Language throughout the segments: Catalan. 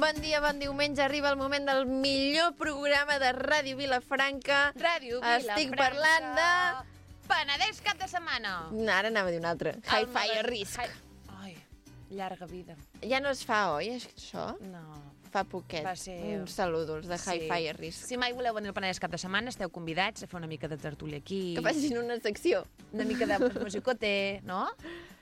Bon dia, bon diumenge. Arriba el moment del millor programa de Ràdio Vilafranca. Ràdio Vilafranca. Estic parlant de... Penedès cap de setmana. Ara anava a dir un altre. Hi-Fi a risc. Ai, llarga vida. Ja no es fa, oi, això? No. Fa poquet. Va ser... Uns saludos de Hi-Fi a risc. Si mai voleu venir al Penedès cap de setmana, esteu convidats a fer una mica de tertúlia aquí. Que facin una secció. Una mica de musicote, no?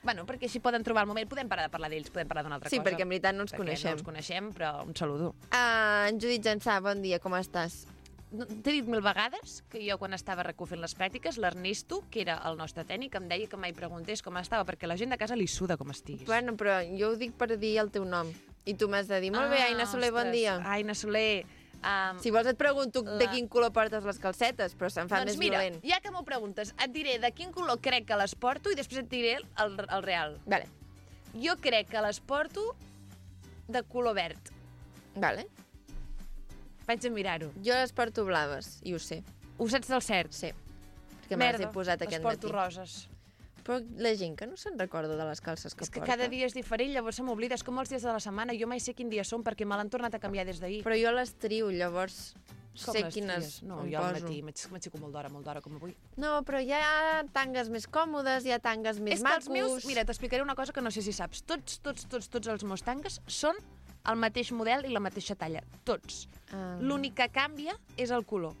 Bueno, perquè així poden trobar el moment. Podem parar de parlar d'ells, podem parlar d'una altra cosa. Sí, perquè en veritat no ens coneixem. No ens coneixem, però un saludo. En Judit Jansà, bon dia, com estàs? T'he dit 1000 vegades que jo, quan estava recofent les pràctiques, l'Ernesto, que era el nostre tècnic, em deia que mai preguntés com estava, perquè la gent de casa li suda com estiguis. Bueno, però jo ho dic per dir el teu nom. I tu m'has de dir, molt bé, Aina Soler, bon dia. Aina Soler... Si vols et pregunto de quin color portes les calcetes, però se'n fa més violent. Ja que m'ho preguntes, et diré de quin color crec que les porto i després et diré el real. Vale. Jo crec que les porto de color verd. Vale. Vaig a mirar-ho. Jo les porto blaves, i ho sé. Ho saps del cert? Sí. Perquè me les he posat aquest matí. Les porto roses. Però la gent que no se'n recorda de les calces que porta. És que cada dia és diferent, llavors se m'oblida. És com els dies de la setmana. Jo mai sé quin dia són perquè me l'han tornat a canviar des d'ahir. Però jo les trio, llavors sé quines no, em jo al poso. matí m'aixeco molt d'hora, com avui. No, però hi ha tangues més còmodes, hi ha tangues més macos. És que els meus... Mira, t'explicaré una cosa que no sé si saps. Tots els meus tangues són el mateix model i la mateixa talla. Tots. L'únic que canvia és el color.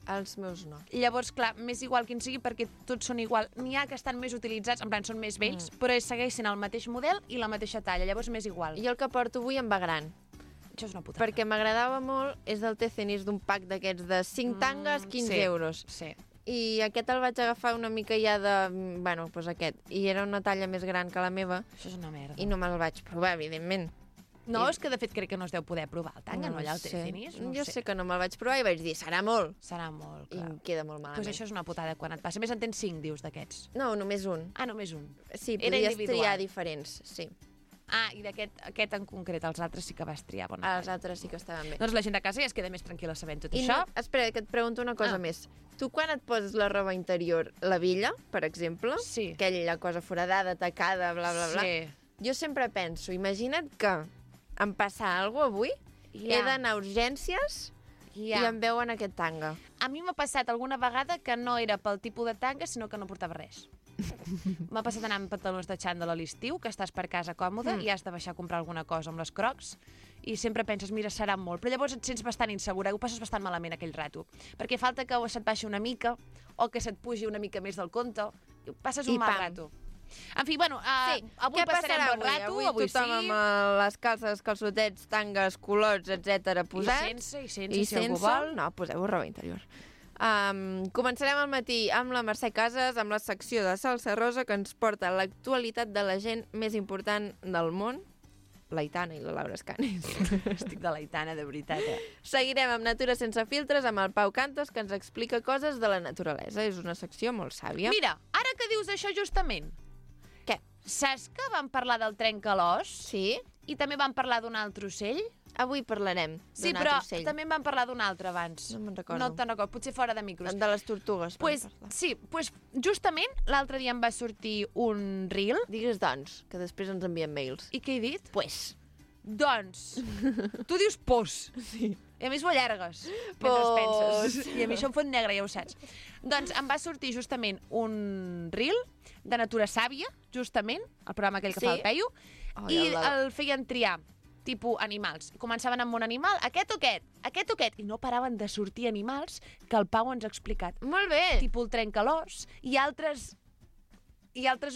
Els meus no. Llavors, clar, m'és igual quin sigui perquè tots són igual. N'hi ha que estan més utilitzats, en plan, són més vells, però segueix sent el mateix model i la mateixa talla, llavors m'és igual. Jo el que porto avui em va gran. Això és una putada. Perquè m'agradava molt, és del Tecenis d'un pack d'aquests de 5 tangues, 15 euros. Sí. I aquest el vaig agafar una mica ja de... Bueno, doncs aquest. I era una talla més gran que la meva. Això és una merda. I no me'l vaig provar, evidentment. No, és que de fet crec que no es deu poder provar el tanga, no allà al Tecenis? Jo sé que no me'l vaig provar i vaig dir, serà molt. Serà molt, clar. I em queda molt malament. Doncs això és una putada quan et passa. A més, en tens 5, dius, d'aquests. No, només un. Ah, només un. Sí, Era podies individual. triar diferents, sí. Ah, i aquest en concret, els altres sí que vas triar. Els altres sí que estaven bé. Doncs la gent de casa ja es queda més tranquil·la sabent tot això. No, espera, que et pregunto una cosa més. Tu quan et poses la roba interior, la villa, per exemple, aquella cosa foradada, tacada, bla, bla, bla, jo sempre penso, imagina't que em passa alguna cosa avui, he d'anar a urgències i em veuen aquest tanga. A mi m'ha passat alguna vegada que no era pel tipus de tanga, sinó que no portava res. M'ha passat anar amb pantalons de xandall a l'estiu, que estàs per casa còmode i has de baixar a comprar alguna cosa amb les crocs i sempre penses, mira, serà molt, però llavors et sents bastant insegura, ho passes bastant malament aquell rato, perquè falta que se't baixi una mica o que se't pugi una mica més del compte, i passes un mal rato. En fi, bueno, avui passarem bon rato, avui tothom amb les calces, calçotets, tangues, culots, etc. posats. I sense, si algú vol. No, poseu roba interior. Començarem al matí amb la Mercè Casas, amb la secció de Salsa Rosa, que ens porta l'actualitat de la gent més important del món, l'Aitana i la Laura Escanes. Estic de l'Aitana, de veritat, Seguirem amb Natura sense filtres, amb el Pau Cantos, que ens explica coses de la naturalesa. És una secció molt sàvia. Mira, ara que dius això justament... Què? Saps que vam parlar del trencalòs? Sí. I també vam parlar d'un altre ocell? Avui parlarem d'un altre ocell. Sí, però també en vam parlar d'un altre abans. No me'n recordo. No te'n recordo, potser fora de micros. De les tortugues. Sí, justament l'altre dia em va sortir un reel. Digues doncs, que després ens envien mails. I què he dit? Doncs. Tu dius pos. Sí. I a més ho allargues mentre penses. I a mi això em fot negre, ja ho saps. Doncs em va sortir justament un reel de Natura Sàvia, justament, el programa aquell que fa el Peyu, i el feien triar tipus animals. Començaven amb un animal, aquest o aquest, i no paraven de sortir animals que el Pau ens ha explicat. Molt bé. Tipus el trencalòs i altres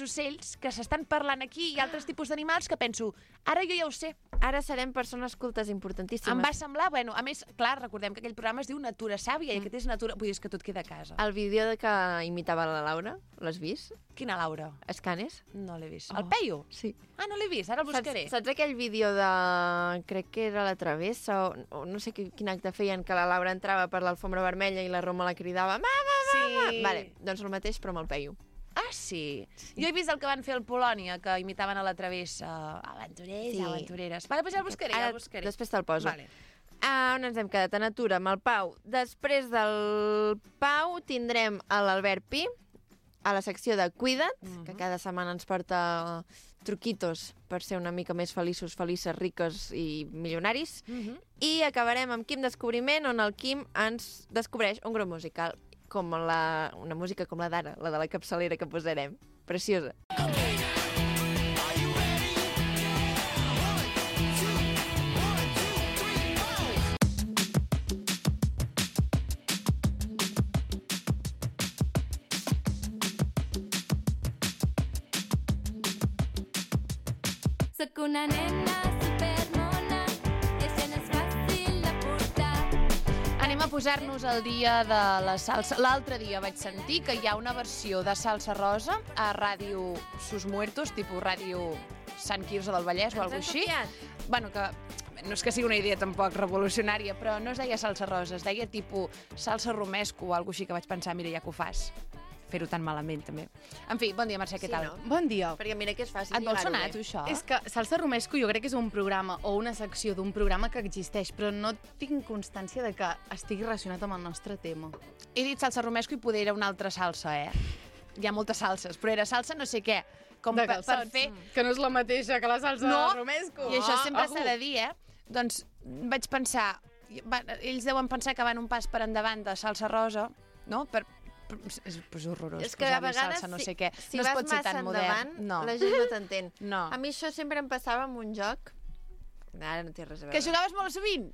ocells que s'estan parlant aquí i altres tipus d'animals que penso, ara jo ja ho sé. Ara serem persones cultes importantíssimes. Em va semblar, bueno, a més, clar, recordem que aquell programa es diu Natura Sàvia i aquest és Natura... Vull dir, és que tot queda a casa. El vídeo de que imitava la Laura, l'has vist? Quina Laura? Escanes? No l'he vist. El Peyu? Sí. Ah, no l'he vist, ara el buscaré. Saps aquell vídeo de... crec que era La Travessa, o no sé quin acte feien, que la Laura entrava per l'alfombra vermella i la Roma la cridava mama, mama! Sí. Vale, doncs el mateix, però amb el Peyu. Ah, sí? Jo he vist el que van fer al Polònia, que imitaven a la Travessa. Aventurers, aventureres. Vale, doncs ja el buscaré, Després te'l poso. Vale. On ens hem quedat? A Natura, amb el Pau. Després del Pau tindrem l'Albert Pi, a la secció de Cuida't, que cada setmana ens porta truquitos per ser una mica més feliços, felices, riques i milionaris. I acabarem amb Quim Descobriment, on el Quim ens descobreix un grup musical, com una música com la d'ara, la de la capçalera que posarem. Preciosa. Soc una nena supermona, això no és fàcil de portar. Anem a posar-nos al dia de la salsa. L'altre dia vaig sentir que hi ha una versió de salsa rosa a Ràdio Sus Muertos, tipus Ràdio Sant Quirze del Vallès o alguna cosa així. Bueno, que no és que sigui una idea tampoc revolucionària, però no es deia salsa rosa, es deia tipus salsa romesco o alguna cosa així, que vaig pensar, mira, ja que ho fas. Fer-ho tan malament, també. En fi, bon dia, Mercè, què tal? No? Bon dia. Perquè mira que és fàcil. Et vol sonar, tu, això? És que Salsa Romesco jo crec que és un programa o una secció d'un programa que existeix, però no tinc constància de que estigui relacionat amb el nostre tema. He dit salsa romesco i poder era una altra salsa, Hi ha moltes salses, però era salsa no sé què. Com per fer... Que no és la mateixa que la salsa romesco. I això sempre s'ha de dir, Doncs vaig pensar... Ells deuen pensar que van un pas per endavant de salsa rosa, no? És horrorós. És que a vegades, salsa, no sé què. si no es vas pot ser massa tan modern. endavant, la gent no t'entén. No. A mi això sempre em passava amb un joc. Ara no té res a veure. Que jugaves molt sovint?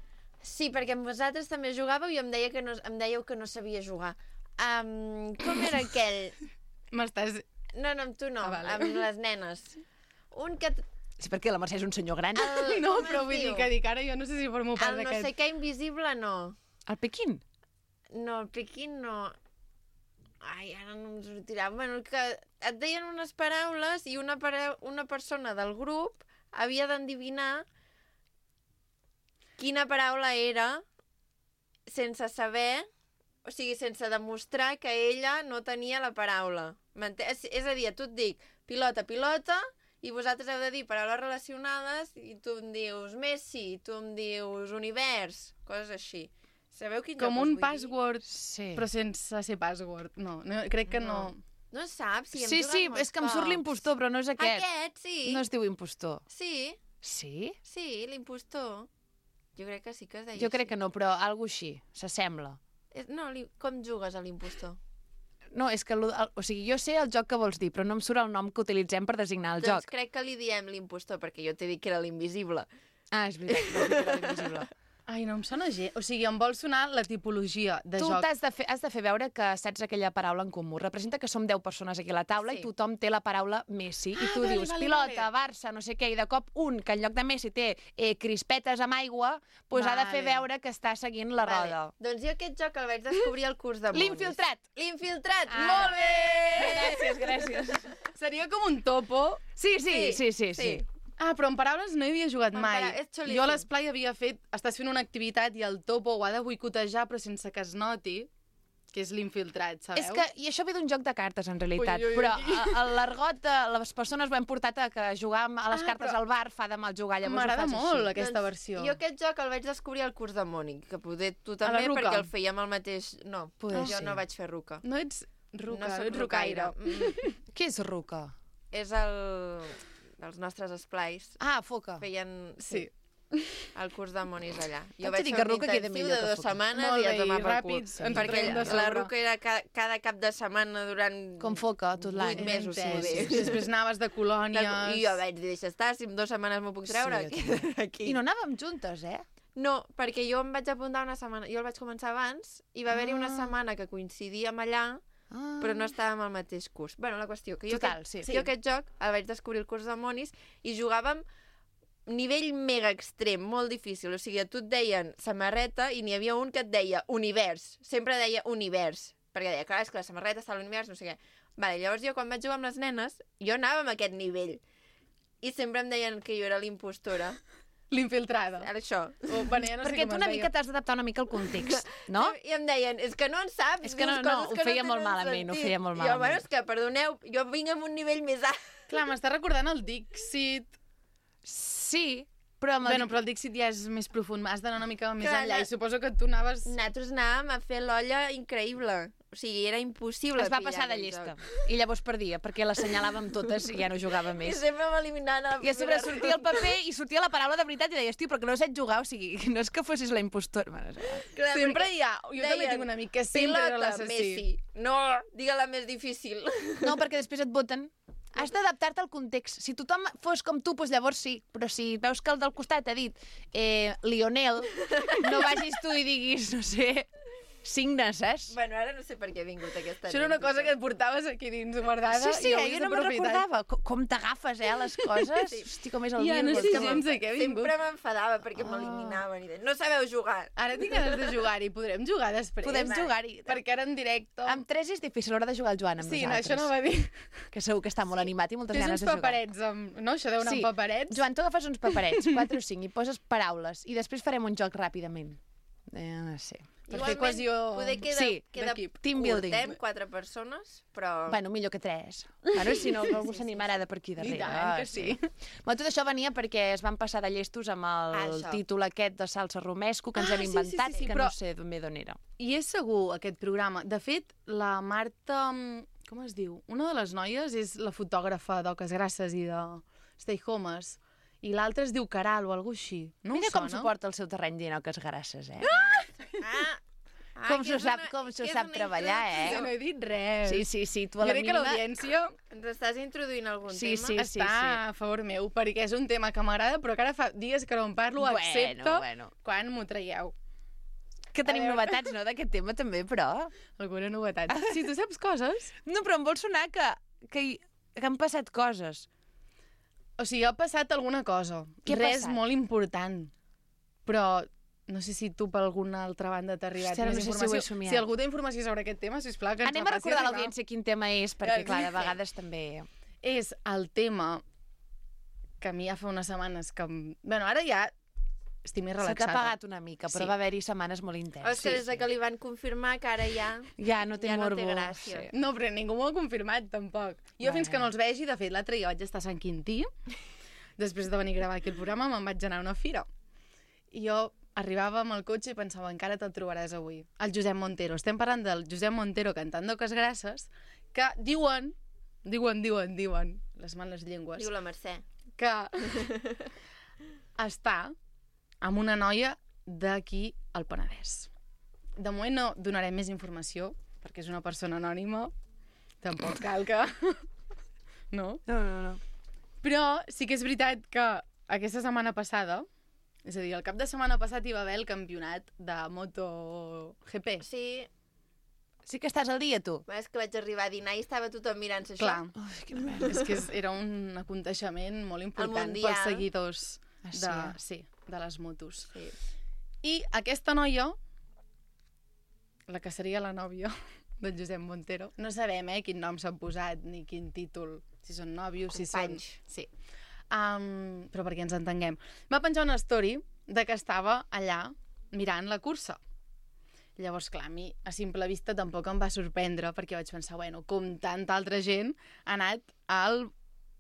Sí, perquè amb vosaltres també jugàveu i em dèieu que no sabia jugar. Com era aquell? M'estàs... No, amb tu no, vale. amb les nenes. Un que... Sí, perquè la Mercè és un senyor gran. No, però vull dir que ara jo no sé si formo part d'aquest... El no sé què invisible, no. El Pequín? No, el Pequín no. Ai, ara no em sortirà. Bueno, que et deien unes paraules i una persona del grup havia d'endevinar quina paraula era sense saber, o sigui, sense demostrar que ella no tenia la paraula. És a dir, tu et dic pilota, pilota, i vosaltres heu de dir paraules relacionades i tu em dius Messi, tu em dius univers, coses així. Sabeu quin com un password, sí. Però sense ser password. No, crec que no. No saps? Si sí, és que em surt l'impostor, però no és aquest. Aquest, sí. No es diu impostor. Sí. Sí? Sí, l'impostor. Jo crec que sí que es deia Jo crec que no, però alguna així, s'assembla. No, com jugues a l'impostor? No, és que... O sigui, jo sé el joc que vols dir, però no em surt el nom que utilitzem per designar el joc. Doncs crec que li diem l'impostor, perquè jo t'he dit que era l'invisible. Ah, és veritat, vas dir que era l'invisible. Ai, no em sona gens. O sigui, em vol sonar la tipologia de joc. Tu has de fer veure que saps aquella paraula en comú. Representa que som 10 persones aquí a la taula i tothom té la paraula Messi. I tu dius pilota, Barça, no sé què, i de cop un, que en lloc de Messi té crispetes amb aigua, doncs ha de fer veure que està seguint la roda. Doncs jo aquest joc el vaig descobrir al curs de Monis. L'infiltrat! L'infiltrat! Molt bé! Gràcies. Seria com un topo. Sí. Ah, però en paraules no hi havia jugat mai. Jo a l'esplai l'esplai havia fet... Estàs fent una activitat i el topo ho ha de boicotejar, però sense que es noti que és l'infiltrat, sabeu? És que, i això ve d'un joc de cartes, en realitat, però l'argot, les persones ho hem portat a que jugar a les cartes al bar fa de mal jugar, llavors m'agrada molt aquesta versió. Jo aquest joc el vaig descobrir al curs de Mònic, que poder tu també, perquè el fèiem al mateix... No, jo no vaig fer ruca. No ets ruca, no ets rucaire. Què és ruca? És dels nostres esplais. Ah, foca. Feien... Sí. El curs de monis allà. Jo vaig dir que ruca queda millor de 2 setmanes i a tomar per cul. Perquè la ruca era cada cap de setmana durant... Com foca, tot l'any. 8 mesos. Després anaves de colònies... I jo vaig dir, deixa estar, si en 2 setmanes m'ho puc treure. I no anàvem juntes, No, perquè jo em vaig apuntar una setmana... Jo el vaig començar abans i va haver-hi una setmana que coincidíem allà, però no estàvem al mateix curs. Bueno, la qüestió, que jo aquest joc el vaig descobrir al curs de monis i jugàvem nivell mega extrem, molt difícil. O sigui, a tu et deien samarreta i n'hi havia un que et deia univers. Sempre deia univers. Perquè deia, clar, és que la samarreta està a l'univers, no sé què. Vale, llavors jo, quan vaig jugar amb les nenes, jo anava amb aquest nivell. I sempre em deien que jo era l'impostora. L'infiltrada. Això. No sé perquè tu una mica t'has d'adaptar una mica al context, no? I em deien, és que no en saps. És que no, ho feia molt malament, ho feia molt malament. Jo, bueno, és que, perdoneu, jo vinc amb un nivell més alt. Clar, m'està recordant el Dixit. Sí, Però el Dixit ja és més profund, has d'anar una mica més enllà, i suposo que tu anaves... Nosaltres anàvem a fer l'olla increïble. O sigui, era impossible. Es va passar de llesta. I llavors perdia, perquè l'assenyalàvem totes i ja no jugava més. I sempre m'eliminaven. I a sobre sortia el paper i sortia la paraula de veritat i deies, tio, perquè no saps jugar, o sigui, no és que fossis la impostora. Clar, sempre hi ha... Jo també tinc un amic que sempre era l'assassí. Messi. No, digue-la més difícil. No, perquè després et voten. Has d'adaptar-te al context. Si tothom fos com tu, doncs llavors sí. Però si veus que el del costat ha dit Lionel, no vagis tu i diguis, no sé... signes, saps? Bueno, ara no sé per què ha vingut aquesta Això era una cosa que et portaves aquí dins guardada. Sí, jo no me'n recordava. Com t'agafes, les coses? Hosti, com és el dia. No sé gens de què ha vingut. Sempre m'enfadava perquè m'eliminaven. No sabeu jugar. Ara tinc ganes de jugar-hi. Podrem jugar després? Podem jugar-hi. Perquè ara en directe... Amb 3 és difícil, l'hora de jugar al Joan amb nosaltres. Sí, això no va dir. Que segur que està molt animat i moltes ganes de jugar. Tens uns paperets, no? Això deu anar amb paperets. Joan, tu agafes uns paperets, 4 o 5, i poses paraules, i després farem un joc ràpidament. Sí. Per fer cohesió queda team building. Curtem 4 persones, però... Bueno, millor que 3. Ara, si no, algú s'animarà de per aquí darrere. I tant, que sí. Bueno, tot això venia perquè es van passar de llestos amb el títol aquest de Salsa Romesco que ens hem inventat, que no sé ben bé d'on era. I és segur, aquest programa. De fet, la Marta... Com es diu? Una de les noies és la fotògrafa d'Oques Grasses i de Stay Homes. I l'altra es diu Caral o alguna així. No Mira com suporta el seu terreny dient Oques Grasses, Com s'ho sap treballar, No he dit res. Sí, tu a la mínima... Jo crec que l'audiència... Ens estàs introduint algun tema? Està a favor meu, perquè és un tema que m'agrada, però que ara fa dies que no en parlo, excepte quan m'ho traieu. Que tenim novetats, no, d'aquest tema també, però... Alguna novetat. Si tu saps coses... No, però em vol sonar que han passat coses. O sigui, ha passat alguna cosa. Res molt important. Però no sé si tu per alguna altra banda t'ha arribat més informació. Si algú té informació sobre aquest tema, sisplau, que ens anem a recordar a l'audiència quin tema és, perquè, clar, de vegades també... És el tema que a mi ja fa unes setmanes que... Bueno, ara ja estic més relaxada. Se t'ha apagat una mica, però va haver-hi setmanes molt intenses. És que des que li van confirmar que ara ja... Ja no té morbo. gràcia. No, però ningú m'ho ha confirmat, tampoc. Jo fins que no els vegi, de fet, l'altre dia vaig estar a Sant Quintí, després de venir a gravar aquí el programa, me'n vaig anar a una fira. I jo arribava amb el cotxe i pensava, encara te'l trobaràs avui. El Josep Montero. Estem parlant del Josep Montero cantant d'Oques Grasses, que diuen, les males llengües... Diu la Mercè. Que està amb una noia d'aquí al Penedès. De moment no donarem més informació, perquè és una persona anònima. Tampoc cal que... No? No. Però sí que és veritat que aquesta setmana passada, és a dir, el cap de setmana passat hi va haver el campionat de MotoGP. Sí que estàs al dia, tu. És que vaig arribar a dinar i estava tothom mirant-se això. Clar. És que era un aconteixement molt important pels seguidors de les motos. Sí. I aquesta noia, la que seria la nòvia del Josep Montero, no sabem quin nom s'han posat ni quin títol, si són nòvios, si són... Sí. Però perquè ens entenguem. Va penjar una story de que estava allà mirant la cursa. Llavors, clar, a mi a simple vista tampoc em va sorprendre, perquè vaig pensar, bueno, com tanta altra gent ha anat al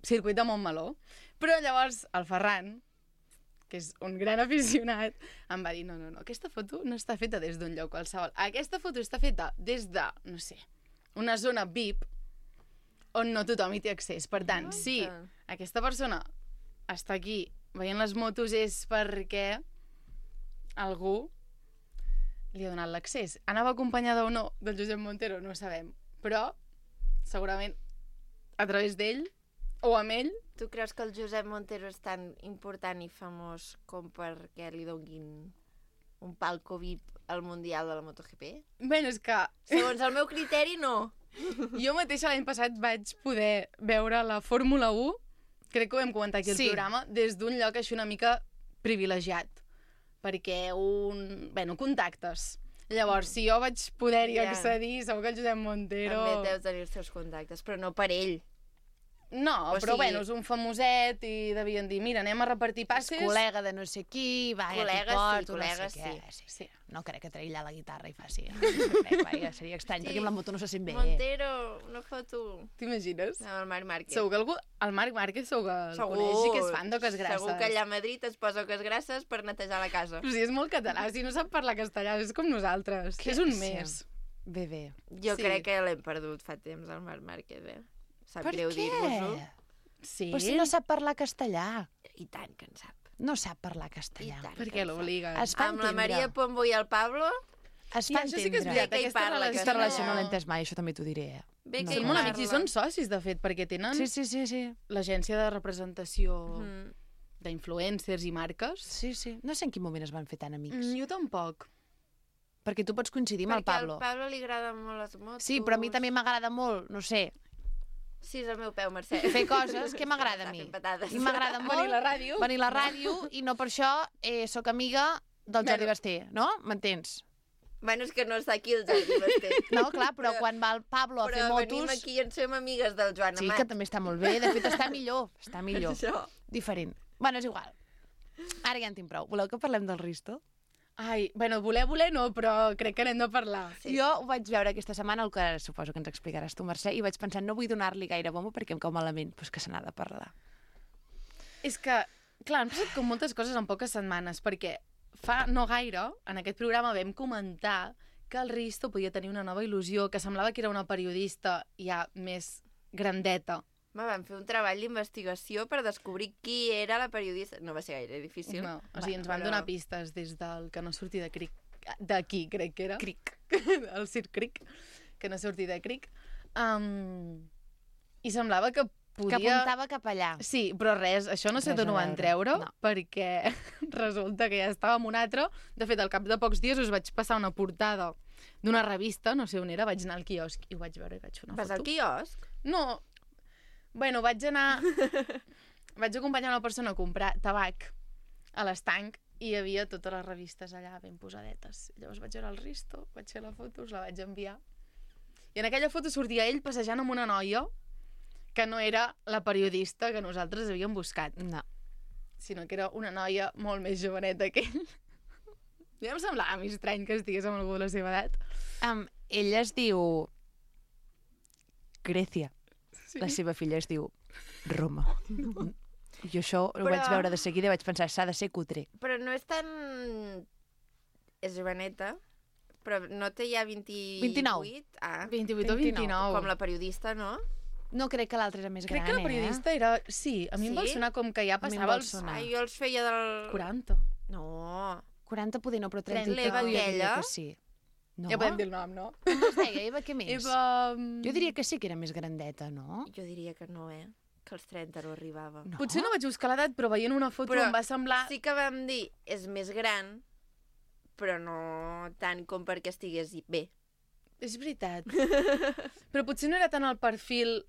circuit de Montmeló. Però llavors el Ferran, que és un gran aficionat, em va dir, no, aquesta foto no està feta des d'un lloc qualsevol. Aquesta foto està feta des de, no sé, una zona VIP on no tothom hi té accés. Per tant, si aquesta persona està aquí veient les motos és perquè algú li ha donat l'accés. Anava acompanyada o no del Josep Montero, no ho sabem. Però, segurament, a través d'ell o amb ell... Tu creus que el Josep Montero és tan important i famós com perquè li donin un palco VIP al Mundial de la MotoGP? Bé, és que... Segons el meu criteri, no. Jo mateixa l'any passat vaig poder veure la Fórmula 1, crec que ho vam comentar aquí al programa, des d'un lloc així una mica privilegiat, perquè contactes. Llavors, si jo vaig poder-hi accedir, segur que el Josep Montero... També deus tenir els seus contactes, però no per ell. No, però bueno, és un famoset i devien dir, mira, anem a repartir passes. És col·lega de no sé qui, va, Col·lega, ja t'hi porto, col·lega, no sé què. sí. No crec que tregui allà la guitarra i faci. No crec, vaja, seria estrany, perquè amb la moto no se sent bé. Montero, una foto. T'imagines? Amb el Marc Márquez. Segur que el Marc Márquez segur que el coneix i que és fan d'oques grasses. Segur que allà a Madrid es posa oques grasses per netejar la casa. Però si és molt català, si no sap parlar castellà, és com nosaltres. És un mes. Bé. Jo crec que l'hem perdut fa temps, el Marc Márquez, Sap greu dir-vos-ho. Sí? Però si no sap parlar castellà. I tant que en sap. No sap parlar castellà. Per què l'obliguen? Amb la Maria Pombo i el Pablo... Es fa això sí que és entendre. veritat, Aquesta relació no l'he entès mai, això també t'ho diré. Bé que Són molt amics i són socis, de fet, perquè tenen Sí. l'agència de representació d'influencers i marques. Sí. No sé en quin moment es van fer tan amics. Jo tampoc. Perquè tu pots coincidir amb el Pablo. Perquè al Pablo li agraden molt les motos. Sí, però a mi també m'agrada molt, no sé, Sí, és el meu peu, Mercè. fer coses que m'agrada a mi. I m'agrada molt Venir a la ràdio. I no per això sóc amiga del Jordi Basté, no? M'entens? Bueno, és que no està aquí el Jordi Basté. No, clar, però quan va el Pablo a fer motos... Però venim aquí i en som amigues del Joan Amat. Sí, que també està molt bé. De fet, està millor. Això. Diferent. Bueno, és igual. Ara ja en tinc prou. Voleu que parlem del Risto? Ai, bueno, voler no, però crec que n'hem de parlar. Sí. Jo ho vaig veure aquesta setmana, el que suposo que ens explicaràs tu, Mercè, i vaig pensar, no vull donar-li gaire bombo perquè em cau malament, però és que se n'ha de parlar. És que, clar, han passat com moltes coses en poques setmanes, perquè fa no gaire, en aquest programa vam comentar que el Risto podia tenir una nova il·lusió, que semblava que era una periodista ja més grandeta. Vam fer un treball d'investigació per descobrir qui era la periodista. No va ser gaire difícil. No, o sigui, ens van donar pistes des del que no surti de Cric, d'aquí, crec que era. Cric. El Circ Cric, que no surti de Cric. I semblava que podia... Que apuntava cap allà. Sí, però res, això no sé d'on ho van treure, perquè resulta que ja estava amb un altre. De fet, al cap de pocs dies us vaig passar una portada d'una revista, no sé on era, vaig anar al quiosc i ho vaig veure i vaig fer una foto. Vas al quiosc? No, bueno, vaig acompanyar una persona a comprar tabac a l'estanc i hi havia totes les revistes allà ben posadetes. Llavors vaig veure el Risto, vaig fer la foto, us la vaig enviar. I en aquella foto sortia ell passejant amb una noia que no era la periodista que nosaltres havíem buscat. No. Sinó que era una noia molt més joveneta que ell. Ja em semblava més estrany que estigués amb algú de la seva edat. Ella es diu Grècia. Sí. La seva filla es diu Roma. Jo això ho vaig veure de seguida i vaig pensar, s'ha de ser cutre. Però no és tan... És joveneta, però no té ja 28? 29. 28 o 29. Com la periodista, no? No crec que l'altra era més gran, Crec que la periodista era... Sí, a mi em vol sonar com que ja passava els... Jo els feia del... 40. No. 40 poder no, però 30 l'Eva aquella. Que sí. No? Ja podem dir el nom, no? Com es deia? Eva què més? Eva... Jo diria que sí que era més grandeta, no? Jo diria que no, Que als 30 no arribava. No? Potser no vaig buscar l'edat, però veient una foto em va semblar... Sí que vam dir, és més gran, però no tant com perquè estigués bé. És veritat. Però potser no era tant el perfil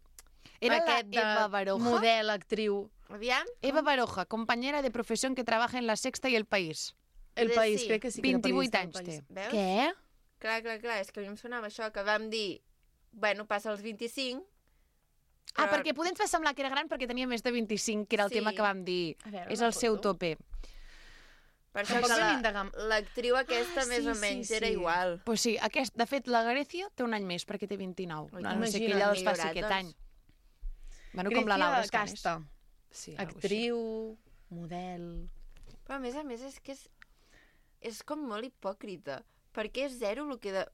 era aquest de Eva Baroja? Model, actriu. Aviam? Eva Baroja, compañera de profesión que trabaja en La Sexta y El País. El País, crec que sí que era 28 periodista anys del País. té. Veus? Què? Clar, és que a mi em sonava això, que vam dir, bueno, passa als 25... Però... perquè poder ens va semblar que era gran perquè tenia més de 25, que era el tema que vam dir. És el seu tope. Per això que l'actriu aquesta més o menys era igual. Pues sí, de fet, la Grècia té un any més perquè té 29. No sé què ella els faci aquest any. Bueno, com la Laura Casta. Sí, actriu, model... Però a més és que és com molt hipòcrita, perquè és zero el que...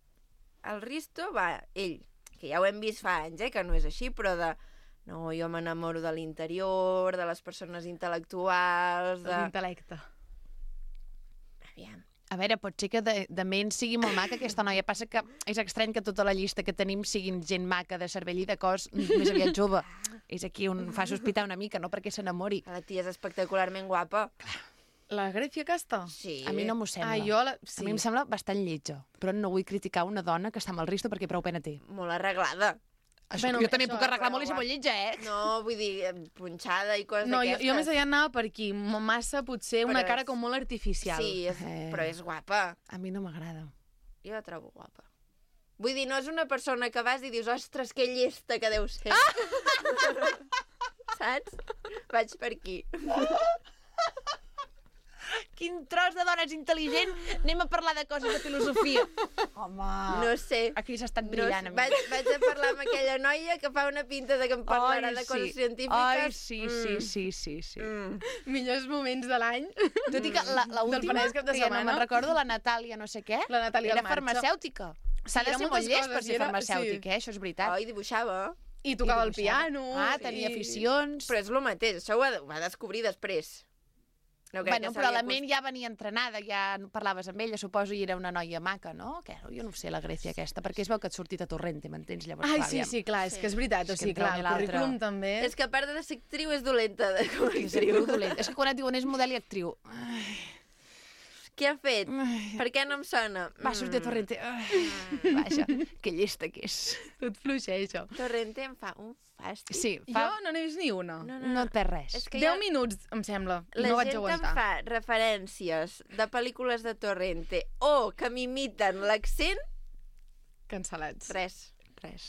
El Risto va, ell, que ja ho hem vist fa anys, que no és així, però no, jo m'enamoro de l'interior, de les persones intel·lectuals... De l'intel·lecte. Aviam. A veure, pot ser que de ment sigui molt maca aquesta noia. Passa que és estrany que tota la llista que tenim siguin gent maca de cervell i de cos més aviat jove. És aquí on fa sospitar una mica, no perquè s'enamori. La tia és espectacularment guapa. La Grècia Casta? Sí. A mi no m'ho sembla. Sí. A mi em sembla bastant lletja. Però no vull criticar una dona que està amb el Risto perquè prou pena té. Molt arreglada. Jo també puc arreglar molt i ser molt lletja, No, vull dir, punxada i coses d'aquestes. Jo més allà anava per aquí. Massa, potser, una cara com molt artificial. Sí, però és guapa. A mi no m'agrada. Jo la trobo guapa. Vull dir, no és una persona que vas i dius, ostres, que llesta que deu ser. saps? Vaig per aquí. Quin tros de dones intel·ligent. Anem a parlar de coses de filosofia. Home. No sé. Aquí s'ha estat brillant. No, vaig a parlar amb aquella noia que fa una pinta de que em parlarà de coses científiques. Sí. Millors moments de l'any. Tot i que l'última, que ja no me'n recordo, la Natàlia no sé què, la Natàlia era farmacèutica. S'ha de ser molt llest per ser farmacèutic, això és veritat. I dibuixava. I tocava el piano. Tenia aficions. Però és el mateix, això ho va descobrir després. No però la ment ja venia entrenada, ja parlaves amb ella, suposo, i era una noia maca, no? Jo no sé, la Grècia aquesta, perquè es veu que et sortit a Torrente, m'entens? Llavors, sí, clar, és que és veritat, o sigui, clar, el currículum també... És que a part de ser actriu és dolenta com a actriu. És que quan et diuen és model i actriu... Què ha fet? Per què no em sona? Va sortir a Torrente. Vaja, que llesta que és. Tot fluixeja. Torrente em fa un fàstic. Sí, jo no n'he vist ni una. No et perd res. 10 minuts, em sembla. La gent em fa referències de pel·lícules de Torrente o que m'imiten l'accent... Cancel·lats. Res.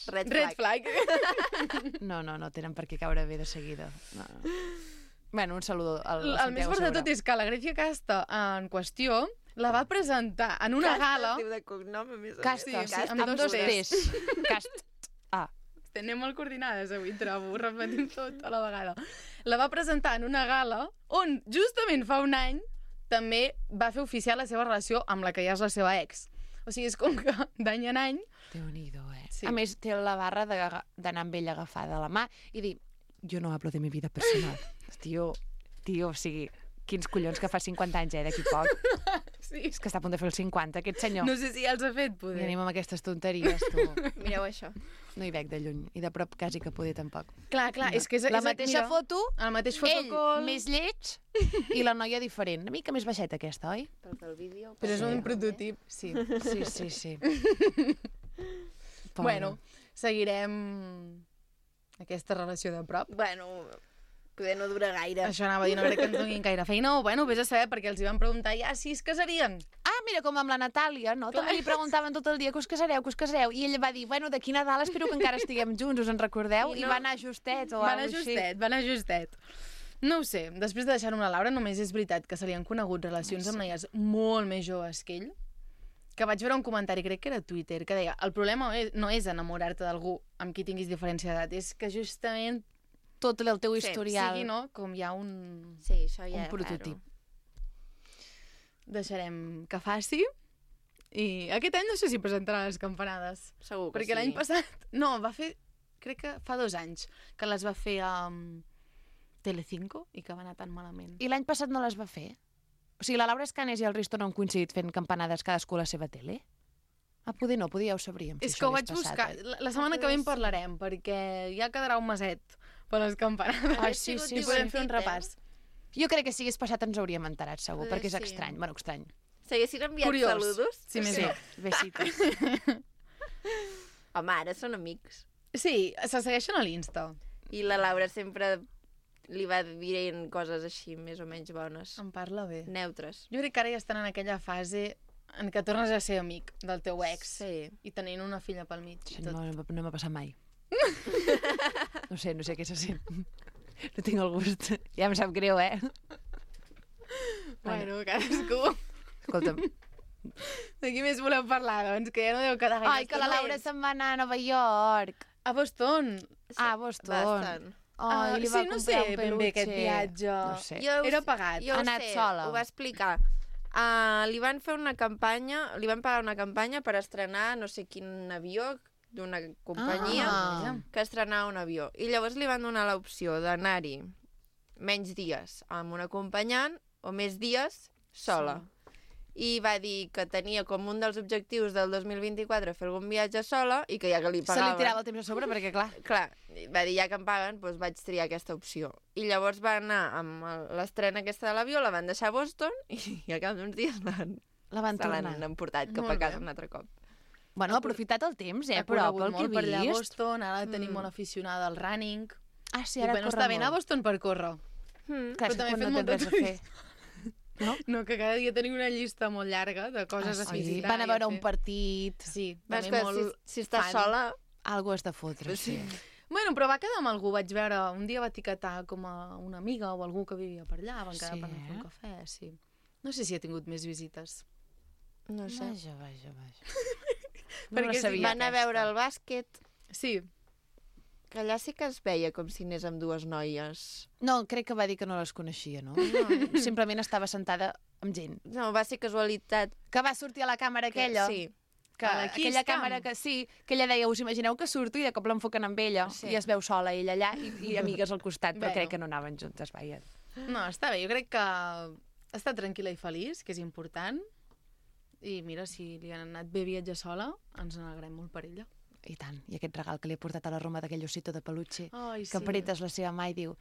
Red flag. No tenen per què caure bé de seguida. No. Bueno, un saludo al Santiago El més fort de tot és que la Grècia Casta en qüestió la va presentar en una gala... Casta, de cognom, a més. Casta, amb dos T's. Cast. Anem molt coordinades avui, trobo, repetim tot a la vegada. La va presentar en una gala on, justament fa un any, també va fer oficial la seva relació amb la que ja és la seva ex. O sigui, és com que d'any en any... Déu-n'hi-do, Sí. A més, té la barra d'anar amb ella agafada a la mà i dir, jo no hablo de mi vida personal. Tio, o sigui, quins collons que fa 50 anys, d'aquí poc. Sí. És que està a punt de fer els 50, aquest senyor. No sé si ja els ha fet, poder. I anem amb aquestes tonteries, tu. Mireu això. No hi veig de lluny, i de prop quasi que poder tampoc. Clar, no. És que és... La mateixa foto, el mateix fotocol... ell més lleig i la noia diferent. Una mica més baixeta aquesta, oi? Pel vídeo. Però és un prototip, sí. Sí. Bueno, seguirem aquesta relació de prop. Bueno, poder no dura gaire. Això anava a dir, no crec que ens donin gaire feina. O, bueno, vés a saber, perquè els hi van preguntar ja si es casarien. Mira, com amb la Natàlia, no? Clar. També li preguntaven tot el dia que us casareu. I ella va dir, bueno, d'aquí Nadal espero que encara estiguem junts, us en recordeu? I va anar justet o alguna cosa així. Va anar justet. No ho sé, després de deixar-ho a la Laura, només és veritat que se li han conegut relacions amb noies molt més joves que ell, que vaig veure un comentari, crec que era a Twitter, que deia, el problema no és enamorar-te d'algú amb qui tinguis diferència d'edat, és que justament tot el teu historial... sigui, no? Com hi ha un... Sí, això ja un prototip. Deixarem que faci. I aquest any no sé si presentarà les campanades. Segur que perquè l'any passat... No, va fer... Crec que fa 2 anys que les va fer a Telecinco i que va anar tan malament. I l'any passat no les va fer? O sigui, la Laura Escanes i el Risto no han coincidit fent campanades cadascú a la seva tele? Poder no, poder ja ho sabríem. És que ho vaig buscar. La setmana que ve en parlarem, perquè ja quedarà un meset per les campanades. Sí, podem fer un repàs. Jo crec que si hagués passat ens hauríem enterat, segur, perquè és estrany. Bueno, estrany. S'haguessin enviat saludos? Sí, més bé. Besitos. Home, ara són amics. Sí, se segueixen a l'Insta. I la Laura sempre li va dient coses així, més o menys bones. Em parla bé. Neutres. Jo crec que ara ja estan en aquella fase en què tornes a ser amic del teu ex i tenint una filla pel mig. No m'ha passat mai. No sé què se sent. No tinc el gust. Ja em sap greu, Bueno, cadascú. Escolta'm. De qui més voleu parlar, doncs? Que ja no deu quedar gaire. Ai, que la Laura se'n va anar a Nova York. A Boston. A Boston. Bastant. Ai, li va no comprar sé un ben bé aquest viatge. No sé. Era pagat. Jo ha anat sola. Ho va explicar. Li van fer una campanya, li van pagar una campanya per estrenar no sé quin avió d'una companyia que estrenava un avió. I llavors li van donar l'opció d'anar-hi menys dies amb un acompanyant o més dies sola. I va dir que tenia com un dels objectius del 2024 fer algun viatge sola i que ja que li pagaven... Se li tirava el temps a sobre perquè, clar... Clar, va dir, ja que em paguen, doncs vaig triar aquesta opció. I llavors va anar amb l'estrena aquesta de l'avió, la van deixar a Boston i al cap d'uns dies la van tornar. Se l'han emportat cap a casa un altre cop. Bueno, ha aprofitat el temps, però pel que he vist... per allà a Boston, ara tenim molt aficionada al running. Ah, sí, ara corre molt. Està bé anar a Boston per córrer. Clar, però també no tens res a fer. No, que cada dia tenim una llista molt llarga de coses a visitar. Van a veure un partit... Sí, també molt... Si estàs sola... Algú has de fotre, sí. Bueno, però va quedar amb algú, vaig veure, un dia va etiquetar com a una amiga o algú que vivia per allà, van quedar per anar a fer un cafè, sí. No sé si ha tingut més visites. No sé. Vaja. No la sabia. Van a veure el bàsquet. Sí. Que allà sí que es veia com si anés amb dues noies. No, crec que va dir que no les coneixia, no? Simplement estava sentada amb gent. No, va ser casualitat. Que va sortir a la càmera aquella. Sí. Que aquella càmera que sí, que ella deia, us imagineu que surto i de cop l'enfoquen amb ella i es veu sola ella allà i amigues al costat, però crec que no anaven juntes, vaja. No, està bé, jo crec que està tranquil·la i feliç, que és important, i mira, si li han anat bé viatjar sola, ens n'alegrem molt per ella. I tant, i aquest regal que li he portat a la Roma d'aquell osito de peluche, que apretes la seva mà i diu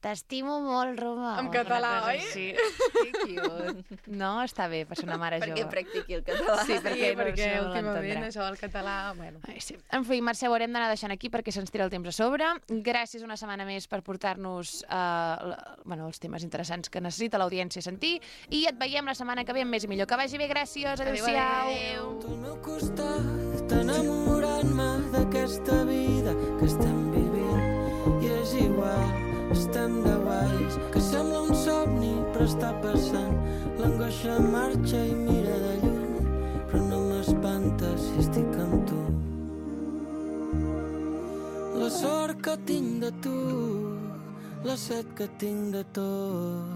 t'estimo molt, Roma. En català, oi? Sí. Que cute. No, està bé, per ser una mare jove. Perquè practiqui el català. Sí, perquè últimament això del català... Bueno. Sí. En fi, Mercè, ho haurem d'anar deixant aquí perquè se'ns tira el temps a sobre. Gràcies una setmana més per portar-nos els temes interessants que necessita l'audiència sentir i et veiem la setmana que ve amb més i millor. Que vagi bé, gràcies, adéu-siau. Adéu. Al meu costat, enamorant-me d'aquesta vida que estem vivint i és igual. Estem de guais, que sembla un somni, però està passant. L'angoixa marxa i mira de lluny, però no m'espanta si estic amb tu. La sort que tinc de tu, la set que tinc de tot.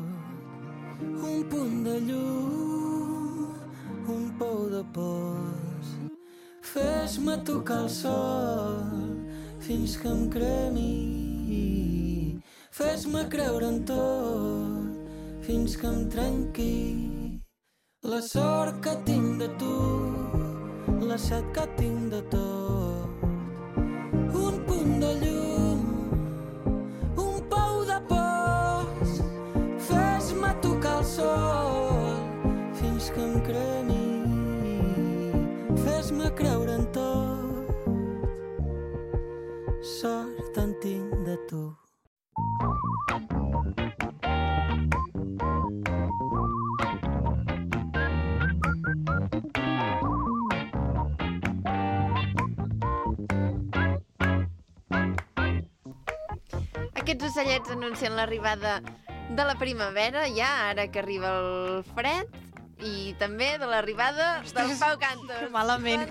Un punt de llum, un pou de pols. Fes-me tocar el sol fins que em cremi. Fes-me creure en tot, fins que em trenqui. La sort que tinc de tu, la set que tinc de tot. Un punt de llum, un pou de pols. Fes-me tocar el sol, fins que em cremi. Fes-me creure en tot, sort en tinc de tu. Aquests ocellets anuncien l'arribada de la primavera, ja, ara que arriba el fred, i també de l'arribada del Pau Cantos. Que malament.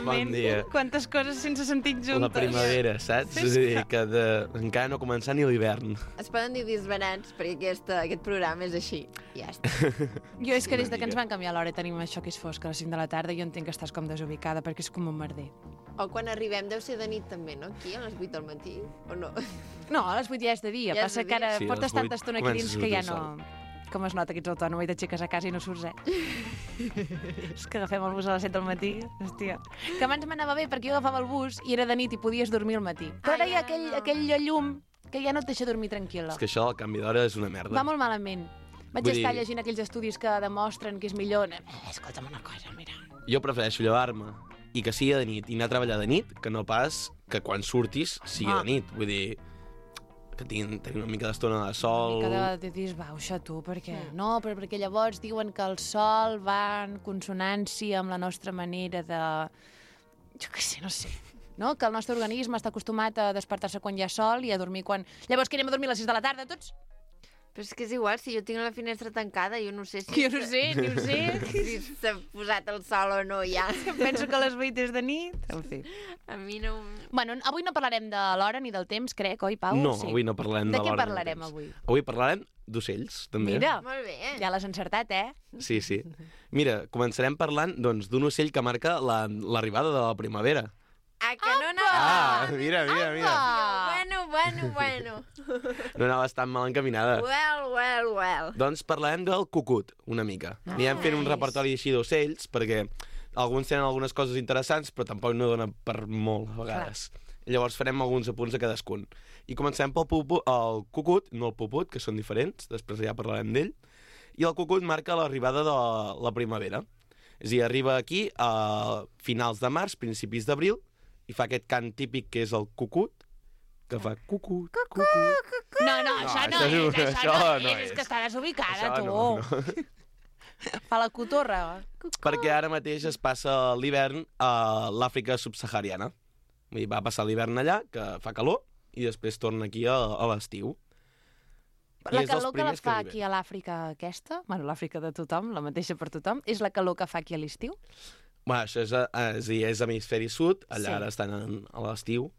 Bon dia. Quantes coses sense sentit juntes. La primavera, saps? És a dir, que encara no ha començat ni l'hivern. Es poden dir disbarats, perquè aquest programa és així. Ja està. Jo és que des que ens van canviar l'hora tenim això que és fosc a les 5 de la tarda i jo entenc que estàs com desubicada perquè és com un merder. O quan arribem deu ser de nit també, no? Aquí, a les 8 del matí, o no? No, a les 8 ja és de dia. Passa que ara portes tanta estona aquí dins que ja no... Com es nota que ets autònoma i t'aixeques a casa i no surts, És que agafem el bus a les 7 del matí, hòstia. Que abans m'anava bé perquè jo agafava el bus i era de nit i podies dormir al matí. Però ara hi ha aquell llum que ja no et deixa dormir tranquil·la. És que això del canvi d'hora és una merda. Va molt malament. Vaig estar llegint aquells estudis que demostren que és millor. Escolta'm una cosa, mira. Jo prefereixo llevar-me i que sigui de nit i anar a treballar de nit que no pas que quan surtis sigui de nit. Vull dir, que tinguin una mica d'estona de sol... Una mica de disbauxa, tu, perquè... No, però perquè llavors diuen que el sol va en consonància amb la nostra manera de... Jo què sé, no sé. No? Que el nostre organisme està acostumat a despertar-se quan hi ha sol i a dormir quan... Llavors que anem a dormir a les 6 de la tarda, tots? Però és que és igual, si jo tinc la finestra tancada, jo no sé si... Jo no sé, ni ho sé. Si s'ha posat el sol o no, ja. Penso que a les 8 és de nit. En fi. A mi no... Bueno, avui no parlarem de l'hora ni del temps, crec, oi, Pau? No, sí. Avui no parlarem de l'hora. De què parlarem avui? Avui parlarem d'ocells, també. Mira, molt bé. Ja l'has encertat, Sí. Mira, començarem parlant doncs, d'un ocell que marca l'arribada de la primavera. Ah, que no anava... Mira. Bueno. No anaves tan mal encaminada. Well. Doncs parlarem del cucut, una mica. Anirem fent un repertori així d'ocells, perquè alguns tenen algunes coses interessants, però tampoc no dona per molt, a vegades. Llavors farem alguns apunts a cadascun. I comencem pel el cucut, no el puput, que són diferents, després ja parlarem d'ell. I el cucut marca l'arribada de la primavera. És a dir, arriba aquí a finals de març, principis d'abril, i fa aquest cant típic que és el cucut, que fa cucut. No, això no és. És que està desubicada, tu. No. Fa la cotorra. Perquè ara mateix es passa l'hivern a l'Àfrica subsahariana. Vull dir, va passar l'hivern allà, que fa calor, i després torna aquí a l'estiu. La calor que la fa aquí a l'Àfrica aquesta, bueno, l'Àfrica de tothom, la mateixa per tothom, és la calor que fa aquí a l'estiu? Bueno, això és hemisferi sud, allà ara estan a l'estiu,